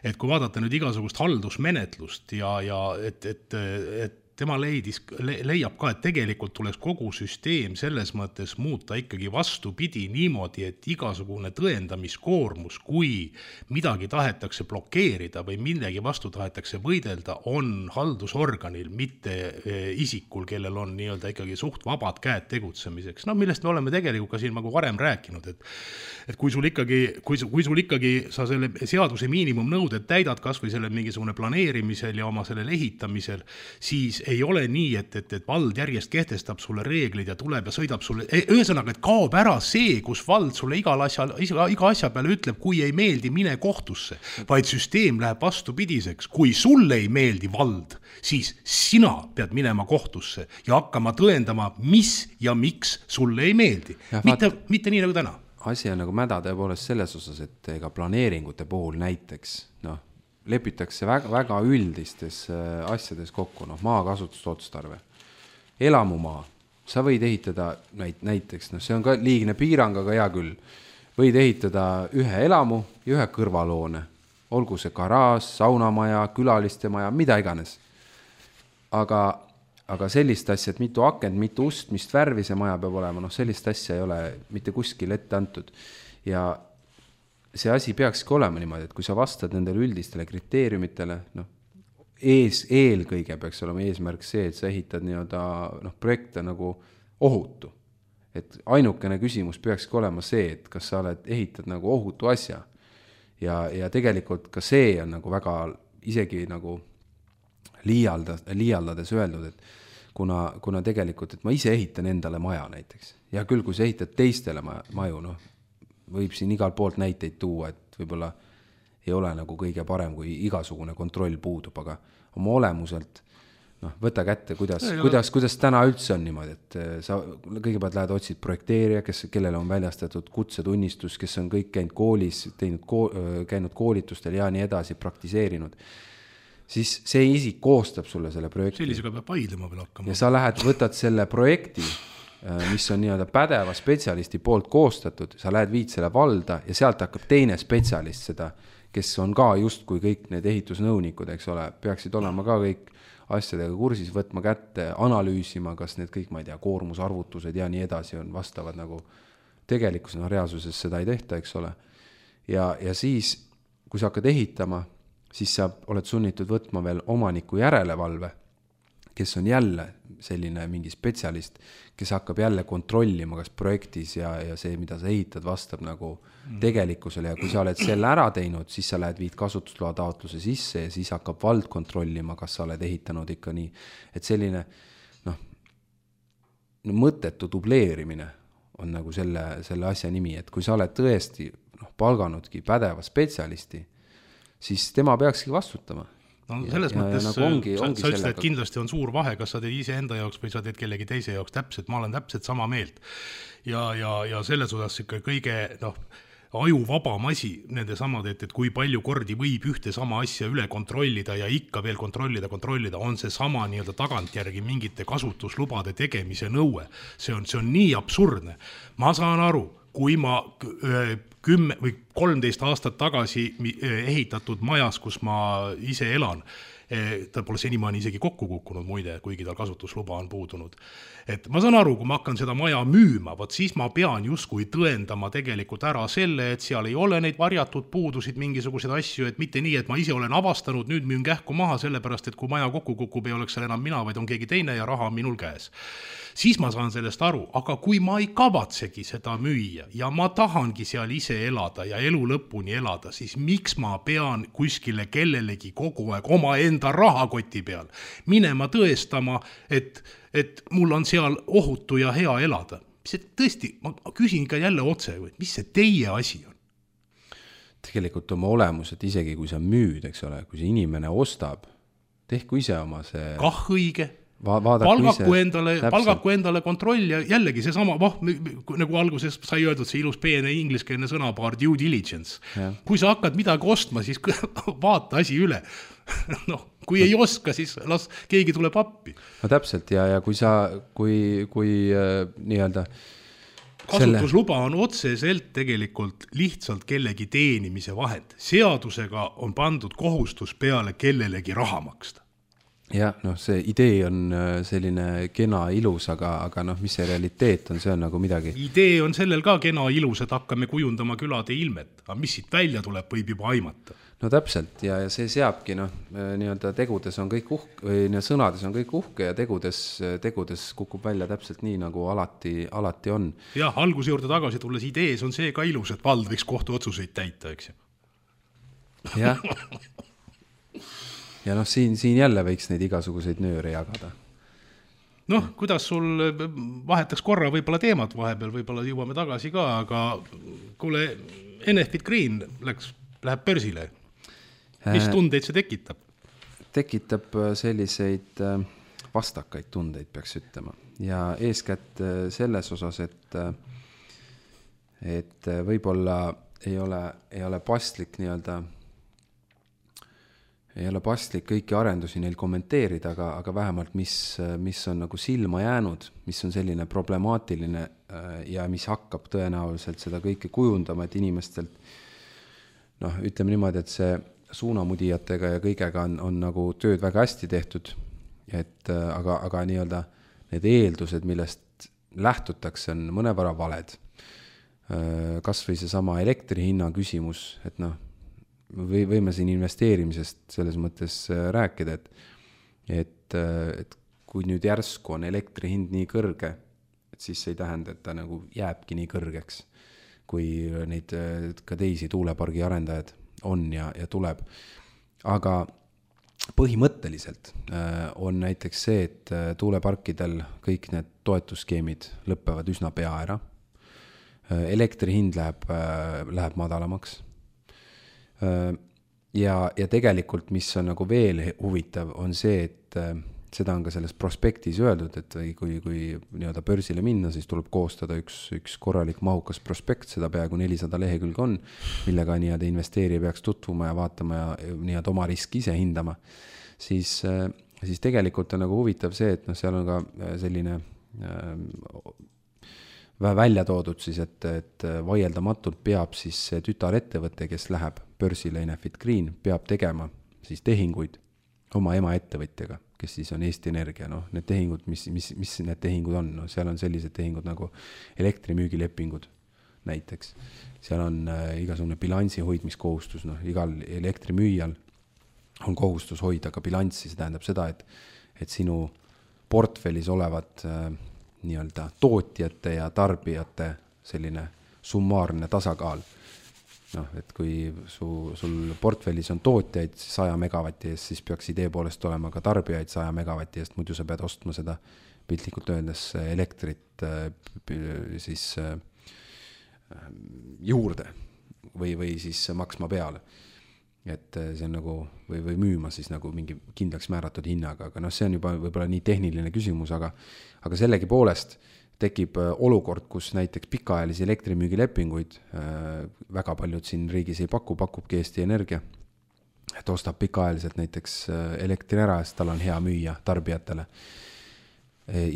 et kui vaadata nüüd igasugust haldusmenetlust ja, ja et, et, et tema leidis, le, leiab ka, et tegelikult tuleks kogu süsteem selles mõttes muuta ikkagi vastupidi niimoodi, et igasugune tõendamiskoormus, kui midagi tahetakse blokeerida või millegi vastu tahetakse võidelda, on haldusorganil, mitte isikul, kellel on nii-öelda ikkagi suht vabad käed tegutsemiseks. No millest me oleme tegelikult ka siin nagu varem rääkinud, et, et kui sul ikkagi, kui, kui sul ikkagi sa selle seaduse miinimumnõuded täidad kas või selle mingisugune planeerimisel ja oma sellel ehitamisel, siis ei ole nii, et, et, et vald järjest kehtestab sulle reeglid ja tuleb ja sõidab sulle, ühesõnaga, et kaob ära see, kus vald sulle igal asja, iga asja peale ütleb, kui ei meeldi, mine kohtusse, vaid süsteem läheb vastupidiseks. Kui sulle ei meeldi vald, siis sina pead minema kohtusse ja hakkama tõendama, mis ja miks sulle ei meeldi. Ja mitte, vaat, mitte nii nagu täna. Asi on nagu mäda tõepoolest selles osas, et ega planeeringute puhul näiteks, noh, lepitakse väga, väga üldistes asjades kokku, noh, maakasutust otstarve. Elamumaa, sa võid ehitada näiteks, noh, see on ka liigne piirang, aga hea küll, võid ehitada ühe elamu ja ühe kõrvaloone, olgu see garaaž, saunamaja, külaliste maja, mida iganes. Aga, aga sellist asja, et mitu akent, mitu ust, mis värvi see maja peab olema, noh, sellist asja ei ole mitte kuskil ette antud. Ja see asi peakski olema niimoodi, et kui sa vastad nendele üldistele kriteeriumitele, noh, ees, eelkõige peaks olema eesmärk see, et sa ehitad nii-öelda, noh, projekte nagu ohutu. Et ainukene küsimus peakski olema see, et kas sa oled, ehitad nagu ohutu asja. Ja, ja tegelikult ka see on nagu väga isegi nagu liialda, liialdades öeldud, et kuna, kuna tegelikult, et ma ise ehitan endale maja näiteks. Ja küll, kui sa ehitad teistele maju, noh, võib siin igal poolt näiteid tuua, et võib-olla ei ole nagu kõige parem, kui igasugune kontroll puudub, aga oma olemuselt, noh, võta kätte, kuidas, kuidas, kuidas täna üldse on niimoodi, et sa kõigepealt lähed otsid projekteerija, kes, kellele on väljastatud kutsetunnistus, kes on kõik käinud koolis, teinud, käinud koolitustel ja nii edasi, praktiseerinud, siis see isik koostab sulle selle projekti. Sellisega peab vaidlema veel hakkama. Ja sa lähed, võtad selle projekti, mis on nii-öelda pädeva spetsialisti poolt koostatud, sa lähed viid selle valda ja sealt hakkab teine spetsialist seda, kes on ka just kui kõik need ehitusnõunikud, eks ole, peaksid olema ka kõik asjadega kursis, võtma kätte, analüüsima, kas need kõik, ma ei tea, koormusarvutused ja nii edasi on vastavad nagu tegelikult, no reaalsuses seda ei tehta, eks ole. Ja, ja siis, kui sa hakkad ehitama, siis sa oled sunnitud võtma veel omaniku järelevalve, kes on jälle selline mingi spetsialist, kes hakkab jälle kontrollima, kas projektis ja, ja see, mida sa ehitad, vastab nagu tegelikkusele. Ja kui sa oled selle ära teinud, siis sa lähed viid kasutusloa taotluse sisse ja siis hakkab vald kontrollima, kas sa oled ehitanud ikka nii. Et selline, noh, mõttetu dubleerimine on nagu selle, selle asja nimi, et kui sa oled tõesti noh, palganudki pädeva spetsialisti, siis tema peakski vastutama. No selles ja, mõttes, ja nagu ongi, ongi sa ütlesid, et kindlasti on suur vahe, kas sa teed ise enda jaoks või sa teed kellegi teise jaoks täpselt, ma olen täpselt sama meelt. Ja, ja, ja selles osas ikka kõige, noh, aju vabam asi nende samad, et, et kui palju kordi võib ühte sama asja üle kontrollida ja ikka veel kontrollida, kontrollida, on see sama nii-öelda tagantjärgi mingite kasutuslubade tegemise nõue. See on, see on nii absurdne. Ma saan aru, kui ma kümme või kolmteist aastat tagasi ehitatud majas, kus ma ise elan, ta pole senimaani isegi kokku kukkunud muide, kuigi tal kasutusluba on puudunud. Et ma saan aru, kui ma hakkan seda maja müüma, võt siis ma pean justkui tõendama tegelikult ära selle, et seal ei ole neid varjatud puudusid, mingisugused asju, et mitte nii, et ma ise olen avastanud, nüüd müün kähku maha sellepärast, et kui maja kokku kukub, ei oleks seal enam mina, vaid on keegi teine ja raha on minul käes. Siis ma saan sellest aru, aga kui ma ei kavatsegi seda müüa ja ma tahangi seal ise elada ja elu lõpuni elada, siis miks ma pean kuskile kellelegi kogu aeg oma enda rahakoti peal minema tõestama, et, et mul on seal ohutu ja hea elada. See tõesti, ma küsin ikka jälle otse, mis see teie asi on? Tegelikult oma olemus, et isegi kui sa müüd, eks ole, kui see inimene ostab, tehku ise oma see... Kah õige. Va- palgaku endale, palgaku endale kontroll ja jällegi see sama, voh, nagu alguses sai öeldud, see ilus peene ingliskeelne sõnapaar due diligence. Ja. Kui sa hakkad midagi ostma, siis vaata asi üle. noh, kui ei oska, siis las keegi tuleb appi. No täpselt ja, ja kui sa, kui, kui äh, nii-öelda kasutusluba on otseselt tegelikult lihtsalt kellegi teenimise vahend. Seadusega on pandud kohustus peale kellelegi raha maksta. jah, noh, see idee on selline kena ilus, aga, aga noh, mis see realiteet on, see on nagu midagi. Idee on sellel ka kena ilus, et hakkame kujundama külade ilmet, aga mis siit välja tuleb, võib juba aimata. No täpselt, ja, ja see seabki, noh, nii-öelda tegudes on kõik uhke, või nii, sõnades on kõik uhke ja tegudes, tegudes kukub välja täpselt nii, nagu alati, alati on. Jah, alguse juurde tagasi tulles idees on see ka ilus, et vald võiks kohtuotsuseid täita, eks ju. Jah. Ja noh, siin, siin jälle võiks neid igasuguseid nööre jagada. Noh, kuidas sul vahetaks korra võib-olla teemat vahepeal, võib-olla jõuame tagasi ka, aga kuule, Enefit Green läks, läheb börsile. Mis tundeid see tekitab? Tekitab selliseid vastakaid tundeid, peaks ütlema. Ja eeskätt selles osas, et, et võib-olla ei ole, ei ole paslik nii-öelda ei ole paslik kõiki arendusi neil kommenteerida, aga, aga vähemalt mis, mis on nagu silma jäänud, mis on selline problemaatiline ja mis hakkab tõenäoliselt seda kõike kujundama, et inimestelt, noh, ütleme niimoodi, et see suunamudijatega ja kõigega on, on nagu tööd väga hästi tehtud, et aga, aga nii-öelda need eeldused, millest lähtutakse, on mõnevõrra valed. Kas või see sama elektri hinna küsimus, et noh, või võime siin investeerimisest selles mõttes rääkida, et, et, et kui nüüd järsku on elektri hind nii kõrge, et siis see ei tähenda, et ta nagu jääbki nii kõrgeks, kui neid ka teisi tuulepargi arendajad on ja, ja tuleb. Aga põhimõtteliselt on näiteks see, et tuuleparkidel kõik need toetusskeemid lõppevad üsna pea ära. Elektri hind läheb, läheb madalamaks. Ja, ja tegelikult, mis on nagu veel huvitav, on see, et seda on ka selles prospektis öeldud, et kui, kui nii-öelda börsile minna, siis tuleb koostada üks, üks korralik mahukas prospekt, seda peaaegu nelisada lehekülge on, millega nii-öelda investeerija peaks tutvuma ja vaatama ja nii-öelda oma riski ise hindama. Siis, siis tegelikult on nagu huvitav see, et noh, seal on ka selline välja toodud siis, et, et vaieldamatult peab siis tütarettevõte, kes läheb börsile Enefit Green, peab tegema siis tehinguid oma ema ettevõtjaga, kes siis on Eesti Energia, noh, need tehingud, mis, mis, mis need tehingud on, no seal on sellised tehingud nagu elektrimüügilepingud näiteks, seal on äh, igasugune bilansi hoidmiskohustus, noh, igal elektrimüüjal on kohustus hoida ka bilanssi, see tähendab seda, et, et sinu portfellis olevad äh, nii-öelda tootjate ja tarbijate selline summaarne tasakaal. Noh, et kui su, sul portfellis on tootjaid saja megavati eest, siis peaks idee poolest olema ka tarbijaid saja megavati eest, muidu sa pead ostma seda piltlikult öeldes elektrit siis juurde või, või siis maksma peale. Et see on nagu, või, või müüma siis nagu mingi kindlaks määratud hinnaga, aga noh, see on juba võib-olla nii tehniline küsimus, aga, aga sellegi poolest tekib olukord, kus näiteks pikaajalisi elektrimüügilepinguid väga paljud siin riigis ei paku, pakubki Eesti Energia, et ostab pikaajaliselt näiteks elektri ära, sest tal on hea müüa tarbijatele.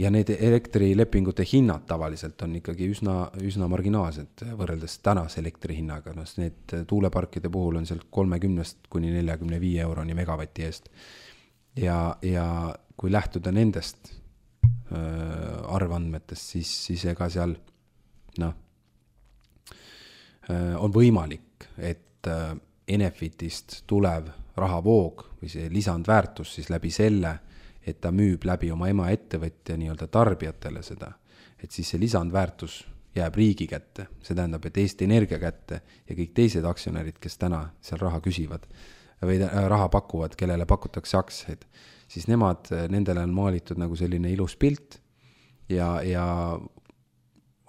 Ja need elektrilepingute hinnad tavaliselt on ikkagi üsna, üsna marginaalsed võrreldes tänase elektri hinnaga. No, need tuuleparkide puhul on sealt kolmekümnest kuni neljakümne viie euroni megavati eest. Ja, ja kui lähtuda nendest äh, arvandmetest, siis, siis ega seal no, äh, on võimalik, et äh, Enefitist tulev rahavoog või see lisandväärtus siis läbi selle, et ta müüb läbi oma ema ettevõtja nii-öelda tarbijatele seda, et siis see lisandväärtus jääb riigi kätte. See tähendab, et Eesti Energia kätte ja kõik teised aktsionärid, kes täna seal raha küsivad või raha pakuvad, kellele pakutakse aktsiaid, siis nemad, nendele on maalitud nagu selline ilus pilt ja, ja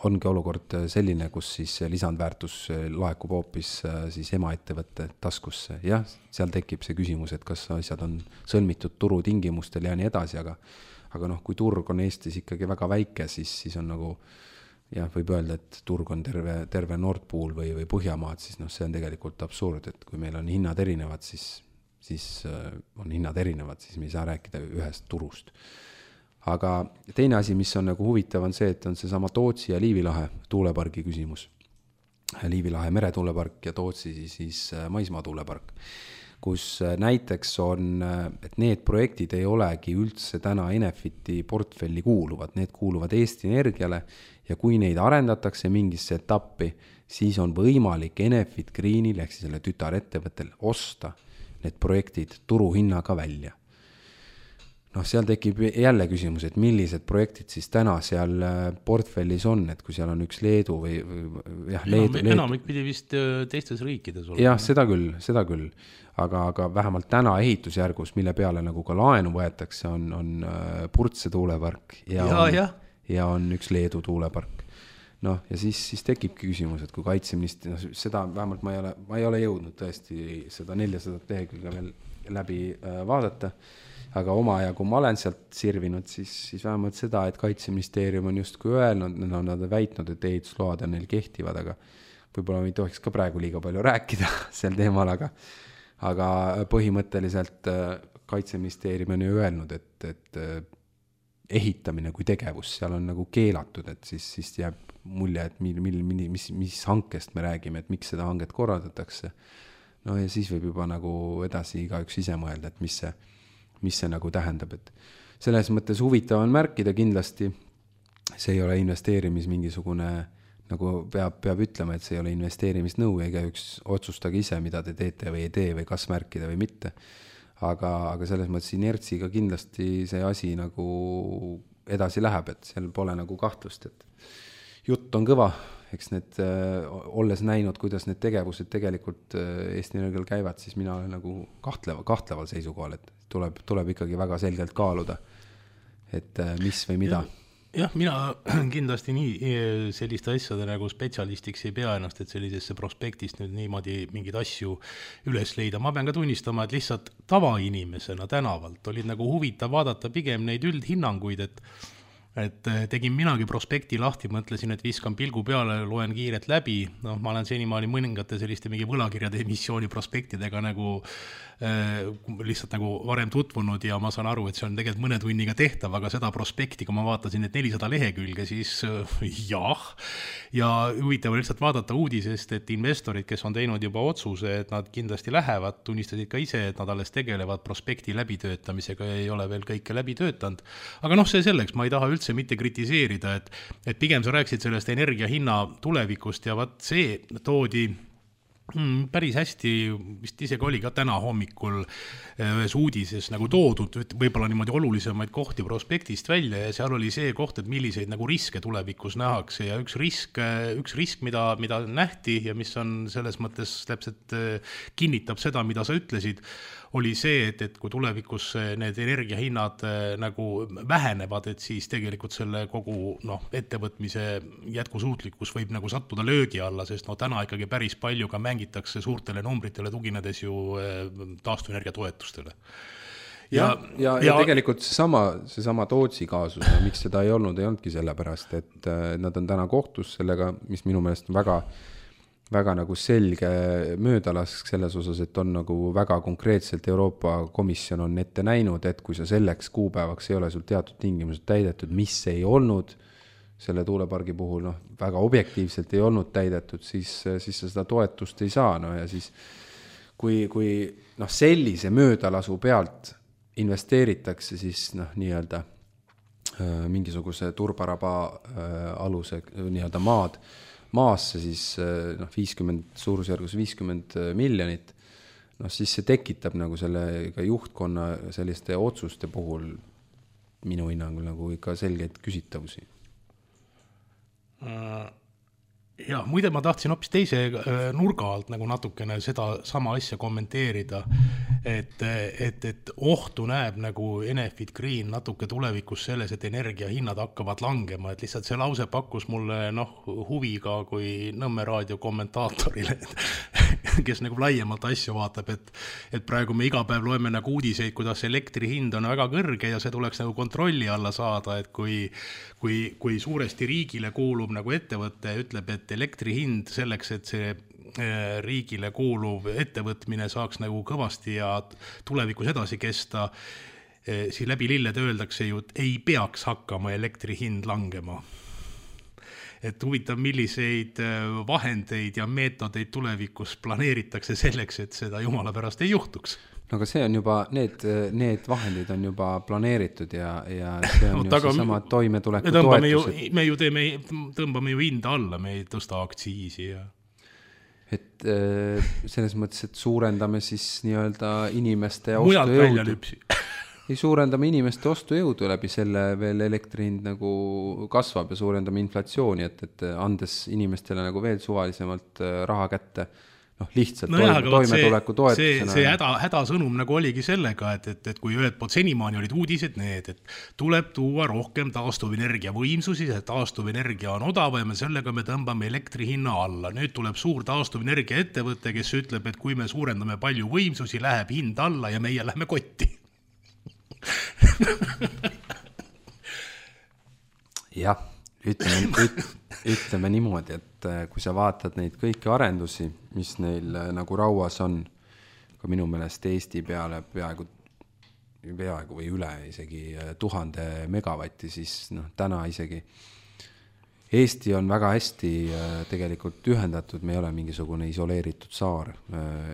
ongi olukord selline, kus siis lisandväärtus laekub hoopis siis ema ettevõtte taskusse. Jah, seal tekib see küsimus, et kas asjad on sõlmitud turutingimustel ja nii edasi, aga, aga noh, kui turg on Eestis ikkagi väga väike, siis, siis on nagu, jah, võib öelda, et turg on terve, terve Nord Pool või, või Põhjamaad, siis noh, see on tegelikult absurd, et kui meil on hinnad erinevad, siis, siis on hinnad erinevad, siis me ei saa rääkida ühest turust. Aga teine asi, mis on nagu huvitav, on see, et on see sama Tootsi ja Liivilahe tuulepargi küsimus. Liivilahe meretuulepark ja Tootsi siis maismaa tuulepark. kus näiteks on, et need projektid ei olegi üldse täna Enefiti portfelli kuuluvad, need kuuluvad Eesti Energiale ja kui neid arendatakse mingisse etappi, siis on võimalik Enefit Greenil ehk siis selle tütarettevõttel osta need projektid turuhinnaga välja. Noh, seal tekib jälle küsimus, et millised projektid siis täna seal portfellis on, et kui seal on üks Leedu või, või jah, Leedu, Leedu. Enamik pidi vist teistes riikides olla. Jah, seda küll, seda küll. Aga, aga vähemalt täna ehitusjärgus, mille peale nagu ka laenu võetakse, on, on Purtse tuulepark ja, ja, on, ja. ja on üks Leedu tuulepark. Noh, ja siis, siis tekibki küsimus, et kui kaitseministri, no, seda vähemalt ma ei ole, ma ei ole jõudnud tõesti seda neljasadat lehekülge veel läbi äh, vaadata, aga oma ja kui ma olen sealt sirvinud, siis, siis vähemalt seda, et kaitseministeerium on justkui öelnud, no, nad on väitnud, et ehitusload on neil kehtivad, aga võib-olla me ei tohiks ka praegu liiga palju rääkida sel teemal, aga, aga põhimõtteliselt kaitseministeerium on ju öelnud, et, et ehitamine kui tegevus seal on nagu keelatud, et siis, siis jääb mulje, et mil, mil, mis, mis hankest me räägime, et miks seda hanget korraldatakse. No ja siis võib juba nagu edasi igaüks ise mõelda, et mis see, mis see nagu tähendab, et selles mõttes huvitav on märkida kindlasti, see ei ole investeerimis mingisugune, nagu peab, peab ütlema, et see ei ole investeerimisnõu, ega üks otsustage ise, mida te teete või ei tee või kas märkida või mitte. Aga, aga selles mõttes inertsiga kindlasti see asi nagu edasi läheb, et seal pole nagu kahtlust, et jutt on kõva, eks need, olles näinud, kuidas need tegevused tegelikult Eesti Energial käivad, siis mina olen nagu kahtleva, kahtleval seisukohal, et tuleb, tuleb ikkagi väga selgelt kaaluda, et mis või mida. Jah, mina kindlasti nii selliste asjade nagu spetsialistiks ei pea ennast, et sellisesse prospektist nüüd niimoodi mingeid asju üles leida. Ma pean ka tunnistama, et lihtsalt tavainimesena tänavalt olid nagu huvitav vaadata pigem neid üldhinnanguid, et et tegin minagi prospekti lahti, mõtlesin, et viskan pilgu peale, loen kiiret läbi, noh, ma olen senimaali mõningate selliste mingi võlakirjade emissiooni prospektidega nagu äh, lihtsalt nagu varem tutvunud ja ma saan aru, et see on tegelikult mõne tunniga tehtav, aga seda prospekti, kui ma vaatasin, et nelisada lehekülge, siis äh, jah, ja huvitav lihtsalt vaadata uudisest, et investorid, kes on teinud juba otsuse, et nad kindlasti lähevad, tunnistasid ka ise, et nad alles tegelevad prospekti läbitöötamisega ja ei ole veel kõike läbi töötanud, aga noh, see selleks, ma ei taha üldse üldse mitte kritiseerida, et, et pigem sa rääksid sellest energia hinna tulevikust ja vaat see toodi mm, päris hästi, vist isegi oli ka täna hommikul ühes uudises nagu toodud, võib-olla niimoodi olulisemaid kohti prospektist välja ja seal oli see koht, et milliseid nagu riske tulevikus nähakse ja üks risk, üks risk mida, mida nähti ja mis on selles mõttes täpselt kinnitab seda, mida sa ütlesid, oli see, et, et kui tulevikus need energiahinnad nagu vähenevad, et siis tegelikult selle kogu noh, ettevõtmise jätkusuutlikkus võib nagu sattuda löögi alla, sest no täna ikkagi päris palju ka mängitakse suurtele numbritele tuginedes ju taastuvenergia toetustele. Ja, ja, ja, ja, ja tegelikult seesama, seesama Tootsi kaasus, miks seda ei olnud, ei olnudki sellepärast, et nad on täna kohtus sellega, mis minu meelest on väga väga nagu selge möödalask selles osas, et on nagu väga konkreetselt Euroopa Komisjon on ette näinud, et kui sa selleks kuupäevaks ei ole sul teatud tingimused täidetud, mis ei olnud selle tuulepargi puhul, noh, väga objektiivselt ei olnud täidetud, siis, siis sa seda toetust ei saa, no ja siis kui, kui noh, sellise möödalasu pealt investeeritakse, siis noh, nii-öelda mingisuguse turbaraba aluse nii-öelda maad, maasse siis noh, viiskümmend, suurusjärgus viiskümmend miljonit, noh siis see tekitab nagu selle ka juhtkonna selliste otsuste puhul minu hinnangul nagu ikka selgeid küsitavusi. Ja muide ma tahtsin hoopis teise nurga alt nagu natukene seda sama asja kommenteerida, et, et, et ohtu näeb nagu Enefit Green natuke tulevikus selles, et energiahinnad hakkavad langema, et lihtsalt see lause pakkus mulle noh, huvi ka kui Nõmme raadio kommentaatorile, kes nagu laiemalt asju vaatab, et, et praegu me iga päev loeme nagu uudiseid, kuidas elektri hind on väga kõrge ja see tuleks nagu kontrolli alla saada, et kui, kui, kui suuresti riigile kuulub nagu ettevõte ütleb, et elektri hind selleks, et see riigile kuuluv ettevõtmine saaks nagu kõvasti ja tulevikus edasi kesta, siis läbi lillede öeldakse ju, et ei peaks hakkama elektri hind langema. et huvitav, milliseid vahendeid ja meetodeid tulevikus planeeritakse selleks, et seda jumala pärast ei juhtuks. No aga see on juba, need, need vahendid on juba planeeritud ja, ja see on no, ju taga, seesama toimetuleku toetused. Me ju teeme, tõmbame ju hinda alla, me ei tõsta aktsiisi ja... Et selles mõttes, et suurendame siis nii-öelda inimeste ostujõudu. Ei suurendame inimeste ostujõudu läbi selle veel elektrihind nagu kasvab ja suurendame inflatsiooni, et, et andes inimestele nagu veel suvalisemalt raha kätte, noh lihtsalt no toime, toimetuleku toetusena. See, see häda, hädasõnum nagu oligi sellega, et, et, et kui ühed pood senimaani olid uudised need, et tuleb tuua rohkem taastuvenergia võimsusi, see taastuvenergia on odavam ja sellega me tõmbame elektri hinna alla. Nüüd tuleb suur taastuvenergia ettevõte, kes ütleb, et kui me suurendame palju võimsusi, läheb hind alla ja meie lähme kotti. jah, ütleme, üt, ütleme niimoodi, et kui sa vaatad neid kõiki arendusi, mis neil nagu rauas on, ka minu meelest Eesti peale peaaegu, peaaegu või üle isegi tuhande megavatti, siis noh, täna isegi Eesti on väga hästi tegelikult ühendatud, me ei ole mingisugune isoleeritud saar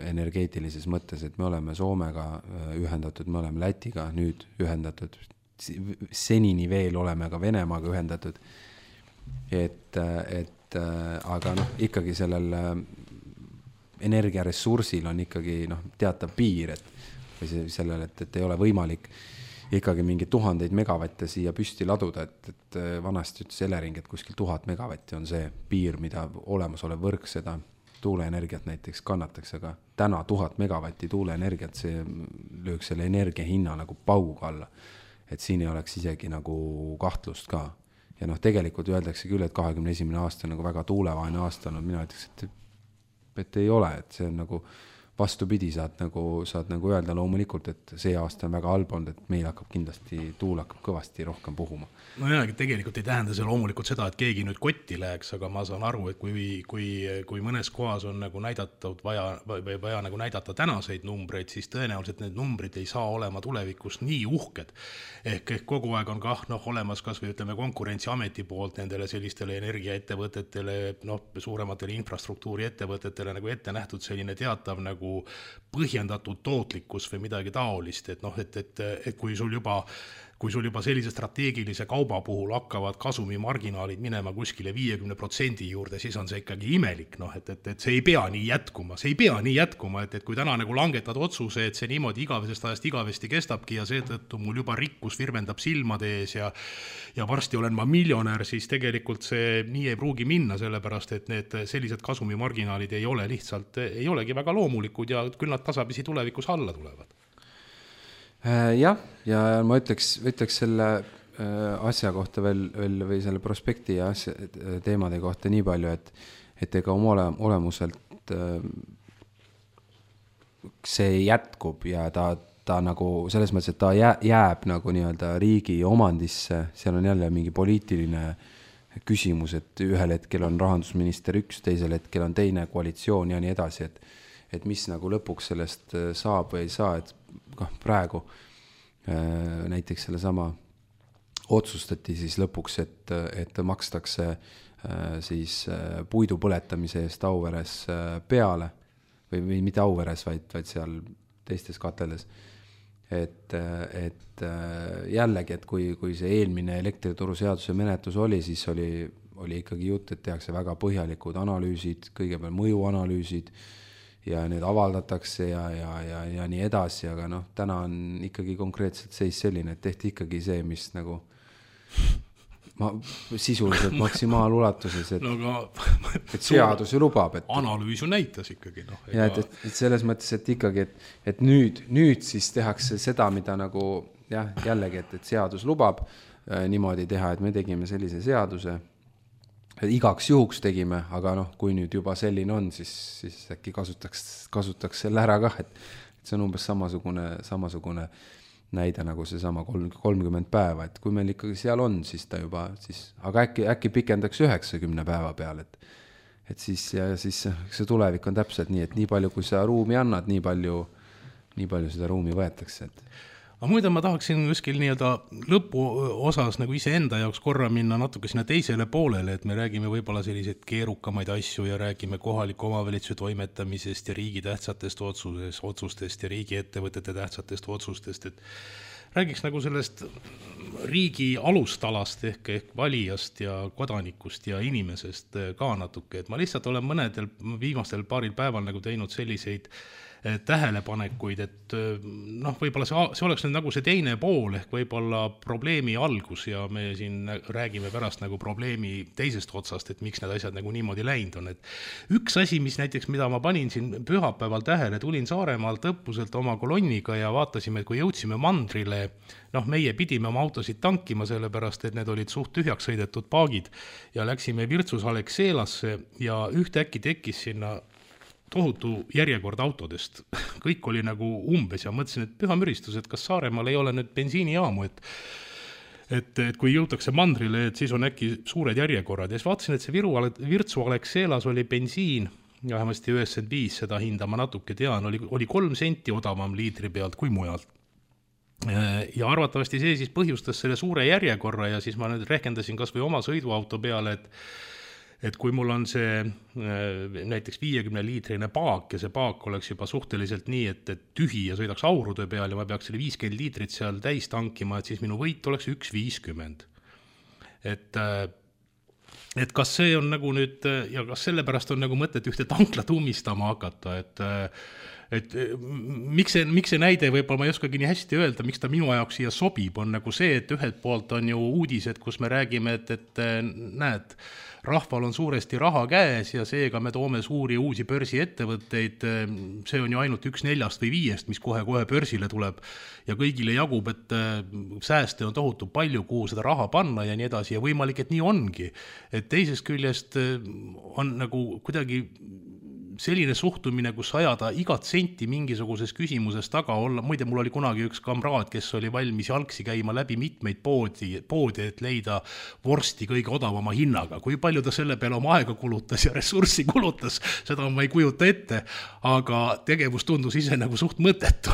energeetilises mõttes, et me oleme Soomega ühendatud, me oleme Lätiga nüüd ühendatud, senini veel oleme ka Venemaaga ühendatud, et, et aga noh, ikkagi sellel energiaressursil on ikkagi noh, teatav piir, et või sellel, et, et ei ole võimalik ikkagi mingi tuhandeid megavatte siia püsti laduda, et, et vanasti ütles Elering, et kuskil tuhat megavatti on see piir, mida olemasolev võrk seda tuuleenergiat näiteks kannataks, aga täna tuhat megavatti tuuleenergiat, see lööks selle energia hinna nagu pauga alla, et siin ei oleks isegi nagu kahtlust ka. Ja noh, tegelikult öeldakse küll, et kahekümne esimene aasta on nagu väga tuulevaine aasta olnud, mina ütleks, et, et ei ole, et see on nagu vastupidi, saad nagu, saad nagu öelda loomulikult, et see aasta on väga halb olnud, et meil hakkab kindlasti, tuul hakkab kõvasti rohkem puhuma. No jah, tegelikult ei tähenda see loomulikult seda, et keegi nüüd kotti läheks, aga ma saan aru, et kui, kui, kui mõnes kohas on nagu näidatud vaja, või vaja nagu näidata tänaseid numbreid, siis tõenäoliselt need numbrid ei saa olema tulevikus nii uhked. Ehk, ehk kogu aeg on kah noh, olemas kas või ütleme konkurentsiameti poolt nendele sellistele energiaettevõtetele, noh, suurematele infrastruktuuri ettevõtetele nagu ette nähtud selline teatav nagu põhjendatud tootlikkus või midagi taolist, et noh, et, et, et kui sul juba kui sul juba sellise strateegilise kauba puhul hakkavad kasumimarginaalid minema kuskile viiekümne protsendi juurde, siis on see ikkagi imelik, noh, et, et, et see ei pea nii jätkuma, see ei pea nii jätkuma, et, et kui täna nagu langetad otsuse, et see niimoodi igavesest ajast igavesti kestabki ja seetõttu mul juba rikkus virvendab silmade ees ja, ja varsti olen ma miljonär, siis tegelikult see nii ei pruugi minna, sellepärast, et need sellised kasumimarginaalid ei ole lihtsalt, ei olegi väga loomulikud ja küll nad tasapisi tulevikus alla tulevad. Jah, ja ma ütleks, ütleks selle asja kohta veel, veel või selle prospekti ja asja, teemade kohta nii palju, et, et ega oma ole, olemuselt see jätkub ja ta, ta nagu selles mõttes, et ta jääb nagu nii-öelda riigi omandisse, seal on jälle mingi poliitiline küsimus, et ühel hetkel on rahandusminister üks, teisel hetkel on teine koalitsioon ja nii edasi, et, et mis nagu lõpuks sellest saab või ei saa, et praegu näiteks selle sama otsustati siis lõpuks, et, et makstakse siis puidu põletamise eest Auveres peale või, või mitte Auveres, vaid, vaid seal teistes kateldes. Et, et jällegi, et kui, kui see eelmine elektrituruseaduse menetlus oli, siis oli, oli ikkagi jutt, et tehakse väga põhjalikud analüüsid, kõigepealt mõjuanalüüsid ja need avaldatakse ja, ja, ja, ja nii edasi, aga noh, täna on ikkagi konkreetselt seis selline, et tehti ikkagi see, mis nagu ma, sisuliselt maksimaalulatuses, et, no, aga, et seadus ju lubab. Et, analüüs ju näitas ikkagi. No, ega... ja, et, et, et selles mõttes, et ikkagi, et, et nüüd, nüüd siis tehakse seda, mida nagu jah, jällegi, et, et seadus lubab äh, niimoodi teha, et me tegime sellise seaduse, igaks juhuks tegime, aga noh, kui nüüd juba selline on, siis, siis äkki kasutaks, kasutaks selle ära kah, et, et see on umbes samasugune, samasugune näide nagu see sama kolmkümmend päeva, et kui meil ikkagi seal on, siis ta juba, siis, aga äkki, äkki pikendaks üheksakümne päeva peal, et, et siis, ja siis see tulevik on täpselt nii, et nii palju, kui sa ruumi annad, nii palju, nii palju seda ruumi võetakse, et aga muide ma tahaksin kuskil nii-öelda lõpu osas nagu ise enda jaoks korra minna natuke sinna teisele poolele, et me räägime võib-olla selliseid keerukamaid asju ja räägime kohaliku omavalitsuse toimetamisest ja riigi tähtsatest otsusest, otsustest ja riigi ettevõtete tähtsatest otsustest, et räägiks nagu sellest riigi alustalast ehk, ehk valijast ja kodanikust ja inimesest ka natuke, et ma lihtsalt olen mõnedel viimastel paaril päeval nagu teinud selliseid tähelepanekuid, et noh, võib-olla see, see oleks nüüd nagu see teine pool ehk võib-olla probleemi algus ja me siin räägime pärast nagu probleemi teisest otsast, et miks need asjad nagu niimoodi läinud on, et üks asi, mis näiteks, mida ma panin siin pühapäeval tähele, tulin Saaremaalt õppuselt oma kolonniga ja vaatasime, et kui jõudsime mandrile, noh, meie pidime oma autosid tankima, sellepärast, et need olid suht tühjaks sõidetud paagid ja läksime Virtsus Alexelasse ja ühtäkki tekkis sinna tohutu järjekord autodest. Kõik oli nagu umbes ja mõtlesin, et püha müristus, et kas Saaremaal ei ole nüüd bensiinijaamu, et, et, et kui jõutakse mandrile, et siis on äkki suured järjekorrad. Ja siis vaatasin, et see Viru, Virtsu Alexelas oli bensiin, ja vähemasti üheksakümmend viis, seda hinda ma natuke tean, oli, oli kolm senti odavam liitri pealt kui mujalt. Ja arvatavasti see siis põhjustas selle suure järjekorra ja siis ma nüüd rehkendasin kas või oma sõiduauto peale, et et kui mul on see näiteks viiekümne liitrine paak ja see paak oleks juba suhteliselt nii, et, et tühi ja sõidaks aurude peal ja ma peaks selle viiskümmend liitrit seal täis tankima, et siis minu võit oleks üks viiskümmend. Et, et kas see on nagu nüüd, ja kas sellepärast on nagu mõtet ühte tanklat umistama hakata, et et miks see, miks see näide, võib-olla ma ei oskagi nii hästi öelda, miks ta minu jaoks siia sobib, on nagu see, et ühelt poolt on ju uudised, kus me räägime, et, et näed, rahval on suuresti raha käes ja seega me toome suuri uusi börsiettevõtteid, see on ju ainult üks neljast või viiest, mis kohe-kohe börsile tuleb ja kõigile jagub, et sääste on tohutu palju, kuhu seda raha panna ja nii edasi ja võimalik, et nii ongi. Et teisest küljest on nagu kuidagi selline suhtumine, kus ajada igat senti mingisuguses küsimuses taga olla. Muide, mul oli kunagi üks kamraad, kes oli valmis jalgsi käima läbi mitmeid poodi, poodi, et leida vorsti kõige odavama hinnaga. Kui palju ta selle peale oma aega kulutas ja ressurssi kulutas, seda ma ei kujuta ette, aga tegevus tundus ise nagu suht mõttetu.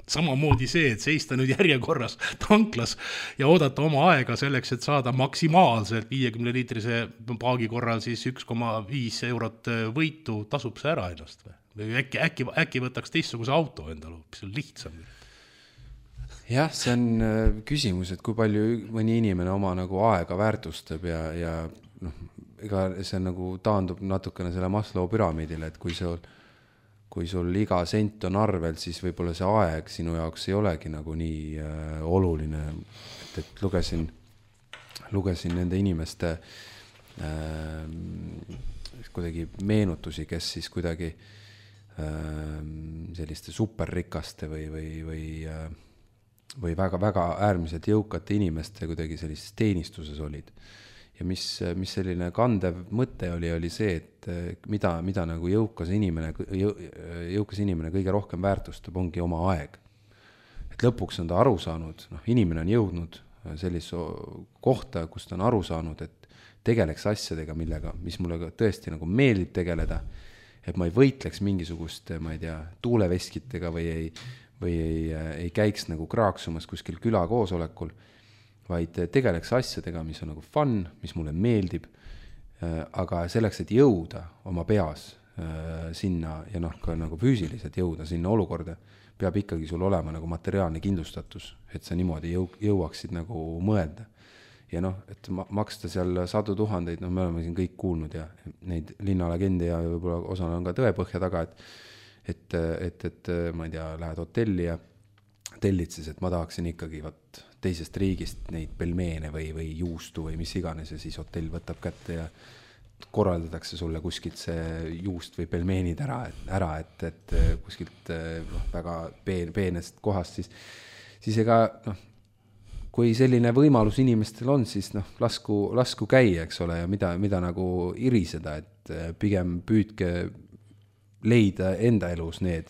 Samamoodi see, et seista nüüd järjekorras tanklas ja oodata oma aega selleks, et saada maksimaalselt viiekümne liitrise paagi korral siis üks koma viis eurot võitu, tasub see ära ennast või äkki, äkki, äkki võtaks teistsuguse auto endale, see on lihtsam. Jah, see on küsimus, et kui palju mõni inimene oma nagu aega väärtustab ja, ja noh, ega see nagu taandub natukene selle Maslow püramiidile, et kui sul, kui sul iga sent on arvel, siis võib-olla see aeg sinu jaoks ei olegi nagu nii äh, oluline, et, et lugesin, lugesin nende inimeste äh, kuidagi meenutusi, kes siis kuidagi äh, selliste superrikaste või, või, või, äh, või väga, väga äärmiselt jõukate inimeste kuidagi sellises teenistuses olid. Ja mis, mis selline kandev mõte oli, oli see, et mida, mida nagu jõukas inimene, jõukas inimene kõige rohkem väärtustab, ongi oma aeg. Et lõpuks on ta aru saanud, noh, inimene on jõudnud sellise kohta, kus ta on aru saanud, et tegeleks asjadega, millega, mis mulle tõesti nagu meeldib tegeleda, et ma ei võitleks mingisugust, ma ei tea, tuuleveskitega või ei, või ei, ei käiks nagu kraaksumas kuskil külakoosolekul, vaid tegeleks asjadega, mis on nagu fun, mis mulle meeldib, aga selleks, et jõuda oma peas sinna ja noh, ka nagu füüsiliselt jõuda sinna olukorda, peab ikkagi sul olema nagu materiaalne kindlustatus, et sa niimoodi jõu, jõuaksid nagu mõelda. Ja noh, et maksta seal sadu tuhandeid, noh, me oleme siin kõik kuulnud ja neid linnalegendi ja võib-olla osana on ka tõepõhja taga, et, et, et, et ma ei tea, lähed hotelli ja tellid siis, et ma tahaksin ikkagi võt, teisest riigist neid pelmeene või, või juustu või mis iganes ja siis hotell võtab kätte ja korraldatakse sulle kuskilt see juust või pelmeenid ära, ära et, et kuskilt noh, väga peen, peenest kohast, siis, siis ega noh, kui selline võimalus inimestel on, siis noh, lasku, lasku käia, eks ole, ja mida, mida nagu iriseda, et pigem püüdke leida enda elus need.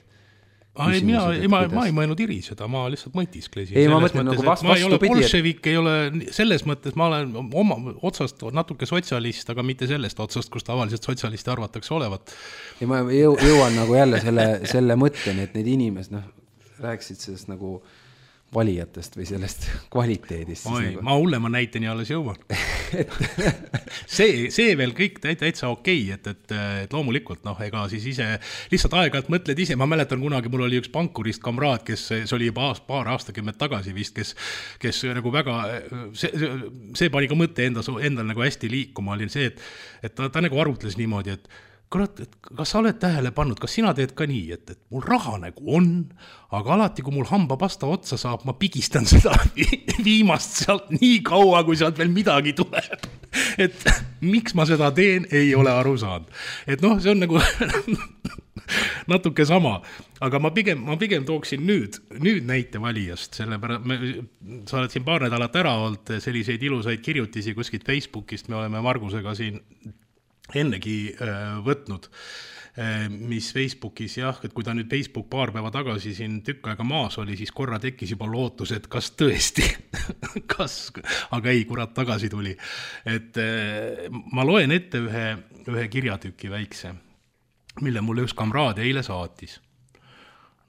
Ai, mina, ma, ma ei mõelnud iriseda, ma lihtsalt mõtisklesin. Ei, ma mõtlen nagu vast, ma ei ole bolševik, ei ole selles mõttes, ma olen oma otsast natuke sotsialist, aga mitte sellest otsast, kus tavaliselt sotsialisti arvatakse olevat. Ja ma jõuan nagu jälle selle, selle mõtteni, et need inimesed, noh, rääksid sellest nagu valijatest või sellest kvaliteedist. Oi, nagu... ma hullema näiteni alles jõuan. see, see veel kõik täitsa okei, et, et, et loomulikult, noh, ega siis ise lihtsalt aeg-ajalt mõtled ise, ma mäletan kunagi, mul oli üks pankurist kamraad, kes, see oli juba aast, paar aastakümmet tagasi vist, kes, kes nagu väga, see, see pani ka mõtte enda, endal nagu hästi liikuma, oli see, et, et ta, ta nagu arvutles niimoodi, et kurat, et kas sa oled tähele pannud, kas sina teed ka nii, et, et mul raha nagu on, aga alati, kui mul hambapasta otsa saab, ma pigistan seda viimast sealt nii kaua, kui sealt veel midagi tuleb. Et miks ma seda teen, ei ole aru saanud. Et noh, see on nagu natuke sama, aga ma pigem, ma pigem tooksin nüüd, nüüd näite valijast, sellepärast me, sa oled siin paar nädalat ära olnud selliseid ilusaid kirjutisi kuskilt Facebookist, me oleme Margusega siin ennegi äh, võtnud, äh, mis Facebookis jah, et kui ta nüüd Facebook paar päeva tagasi siin tükk aega maas oli, siis korra tekkis juba lootus, et kas tõesti, kas, aga ei, kurat tagasi tuli. Et äh, ma loen ette ühe, ühe kirjatüki väikse, mille mulle üks kamraad eile saatis.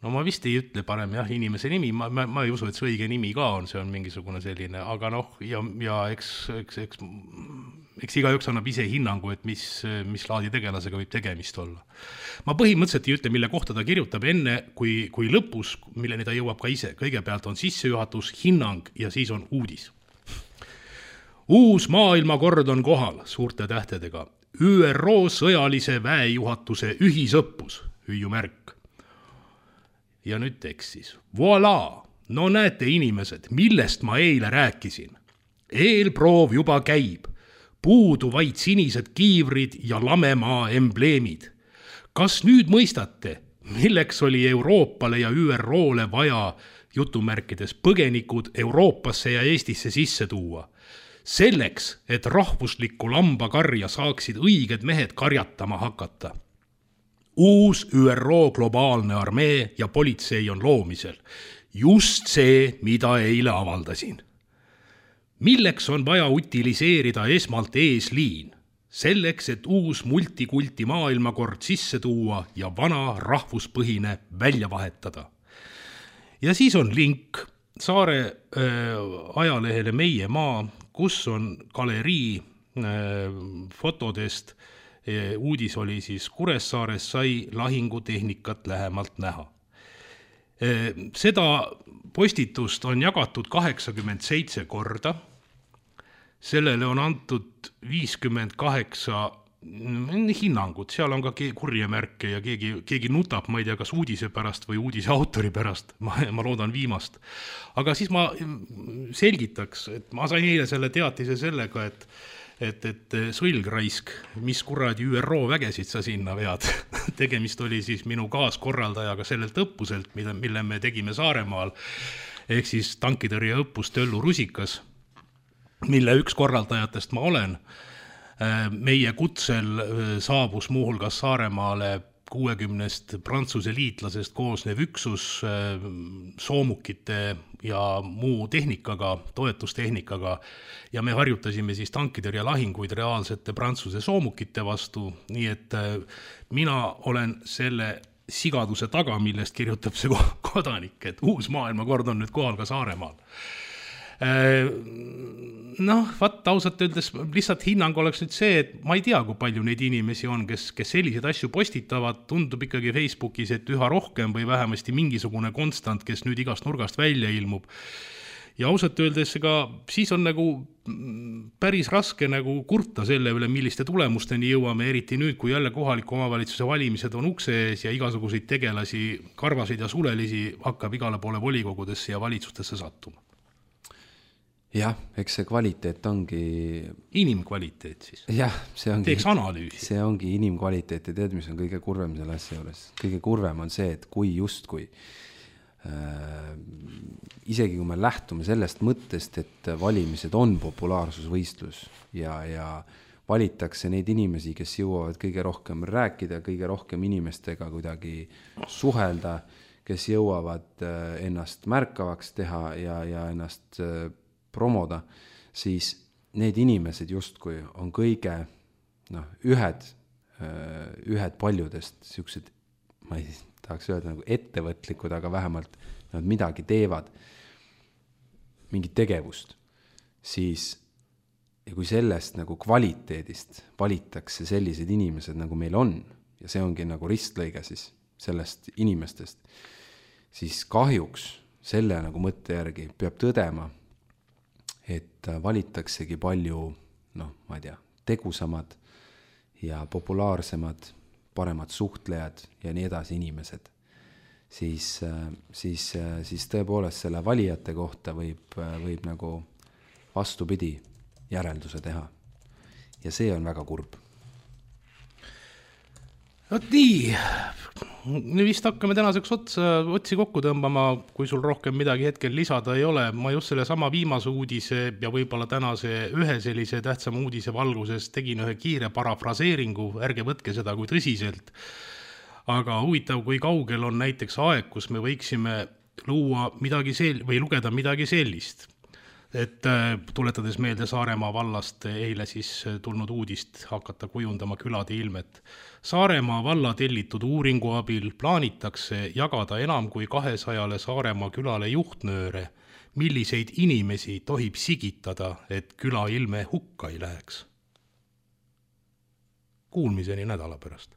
No ma vist ei ütle parem jah, inimese nimi, ma, ma, ma ei usu, et see õige nimi ka on, see on mingisugune selline, aga noh, ja, ja eks, eks, eks, eks iga üks annab ise hinnangu, et mis, mis laadi tegelasega võib tegemist olla. Ma põhimõtteliselt ei ütle, mille kohta ta kirjutab enne, kui, kui lõpus, milleni ta jõuab ka ise. Kõigepealt on sissejuhatus, hinnang ja siis on uudis. Uus maailmakord on kohal suurte tähtedega. Ü R O sõjalise väejuhatuse ühisõppus, hüüumärk. Ja nüüd tekst siis. Voilà! No näete inimesed, millest ma eile rääkisin. Eelproov juba käib. Puudu vaid sinised kiivrid ja lamemaa embleemid. Kas nüüd mõistate, milleks oli Euroopale ja Ü R O-le vaja jutumärkides põgenikud Euroopasse ja Eestisse sisse tuua? Selleks, et rahvuslikku lambakarja saaksid õiged mehed karjatama hakata. Uus Ü R O globaalne armee ja politsei on loomisel. Just see, mida eile avaldasin. Milleks on vaja utiliseerida esmalt eesliin? Selleks, et uus multikulti maailmakord sisse tuua ja vana rahvuspõhine välja vahetada. Ja siis on link Saare äh, ajalehele Meie maa, kus on galerii äh, fotodest. Uudis oli siis Kuressaares sai lahingutehnikat lähemalt näha. Seda postitust on jagatud kaheksakümmend seitse korda. Sellele on antud viiskümmend kaheksa hinnangut. Seal on ka kurjemärke ja keegi, keegi nutab, ma ei tea, kas uudise pärast või uudise autori pärast. Ma, ma loodan viimast. Aga siis ma selgitaks, et ma sain eile selle teatise sellega, et et, et sõlgraisk, mis kuradi Ü R O vägesid sa sinna vead. Tegemist oli siis minu kaaskorraldajaga sellelt õppuselt, mille, mille me tegime Saaremaal, ehk siis tankitõrje õppus Töllu Rusikas, mille üks korraldajatest ma olen. Meie kutsel saabus muuhulgas Saaremaale kuuekümnest Prantsuse liitlasest koosnev üksus soomukite ja muu tehnikaga, toetustehnikaga ja me harjutasime siis tankitõrje lahinguid reaalsete Prantsuse soomukite vastu, nii et mina olen selle sigaduse taga, millest kirjutab see kodanik, et uus maailmakord on nüüd kohal ka Saaremaal. Noh, vaat ausalt öeldes lihtsalt hinnang oleks nüüd see, et ma ei tea, kui palju neid inimesi on, kes, kes selliseid asju postitavad, tundub ikkagi Facebookis, et üha rohkem või vähemasti mingisugune konstant, kes nüüd igast nurgast välja ilmub. Ja ausalt öeldes ega siis on nagu päris raske nagu kurta selle üle, milliste tulemusteni jõuame, eriti nüüd, kui jälle kohaliku omavalitsuse valimised on ukse ees ja igasuguseid tegelasi, karvasid ja sulelisi hakkab igale poole volikogudesse ja valitsustesse sattuma. Jah, eks see kvaliteet ongi... Inimkvaliteet siis. Jah, see ongi... Teeks analüüsi. See ongi inimkvaliteet ja tead, mis on kõige kurvem selle asja juures. Kõige kurvem on see, et kui just kui äh, isegi kui me lähtume sellest mõttest, et valimised on populaarsusvõistlus ja, ja valitakse neid inimesi, kes jõuavad kõige rohkem rääkida, kõige rohkem inimestega kuidagi suhelda, kes jõuavad ennast märkavaks teha ja, ja ennast promoda, siis need inimesed justkui on kõige noh, ühed, ühed paljudest siuksed, ma ei tahaks öelda nagu ettevõtlikud, aga vähemalt nad midagi teevad. mingit tegevust, siis ja kui sellest nagu kvaliteedist valitakse sellised inimesed, nagu meil on, ja see ongi nagu ristlõige siis sellest inimestest, siis kahjuks selle nagu mõtte järgi peab tõdema, et valitaksegi palju, noh, ma ei tea, tegusamad ja populaarsemad, paremad suhtlejad ja nii edasi inimesed. Siis, siis, siis tõepoolest selle valijate kohta võib, võib nagu vastupidi järelduse teha. Ja see on väga kurb. Vot nii, nüüd vist hakkame tänaseks otsa, otsi kokku tõmbama, kui sul rohkem midagi hetkel lisada ei ole. Ma just selle sama viimase uudise ja võib-olla tänase ühe sellise tähtsama uudise valguses tegin ühe kiire parafraseeringu, ärge võtke seda kui tõsiselt. Aga huvitav, kui kaugel on näiteks aeg, kus me võiksime luua midagi sel- või lugeda midagi sellist. Et tuletades meelde Saaremaa vallast eile siis tulnud uudist hakata kujundama külade ilmet. Saaremaa valla tellitud uuringu abil plaanitakse jagada enam kui kahesajale Saaremaa külale juhtnööre, milliseid inimesi tohib sigitada, et küla ilme hukka ei läheks. Kuulmiseni nädala pärast.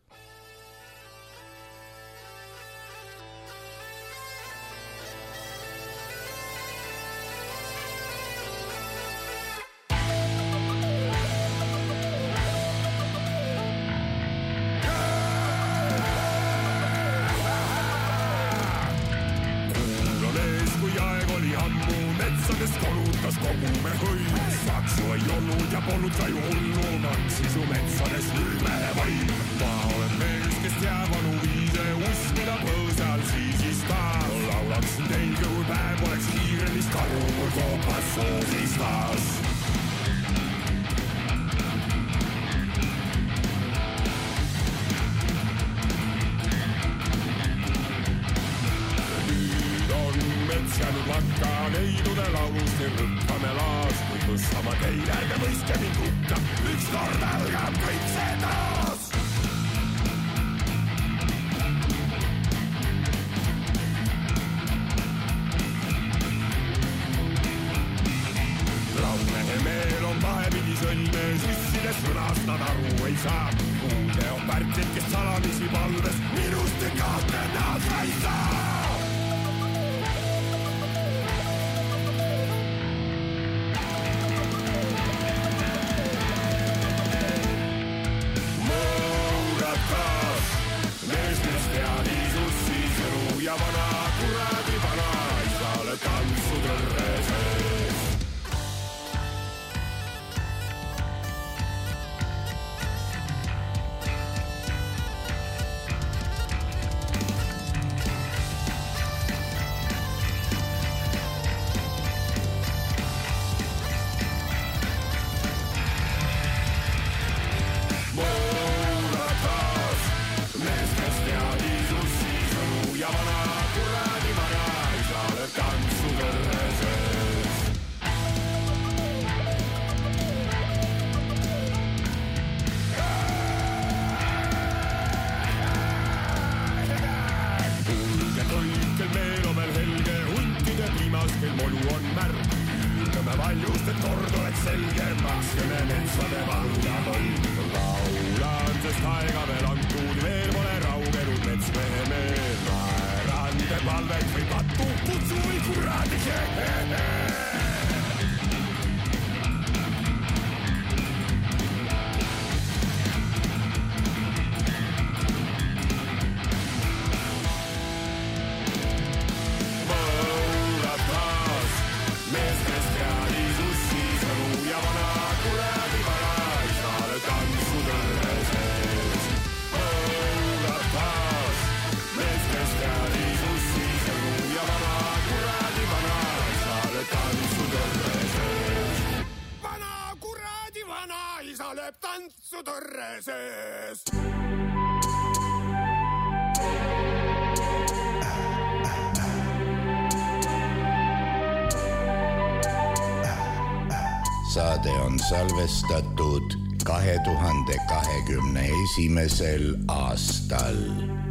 Saade on salvestatud kahe tuhande kahekümne esimesel aastal.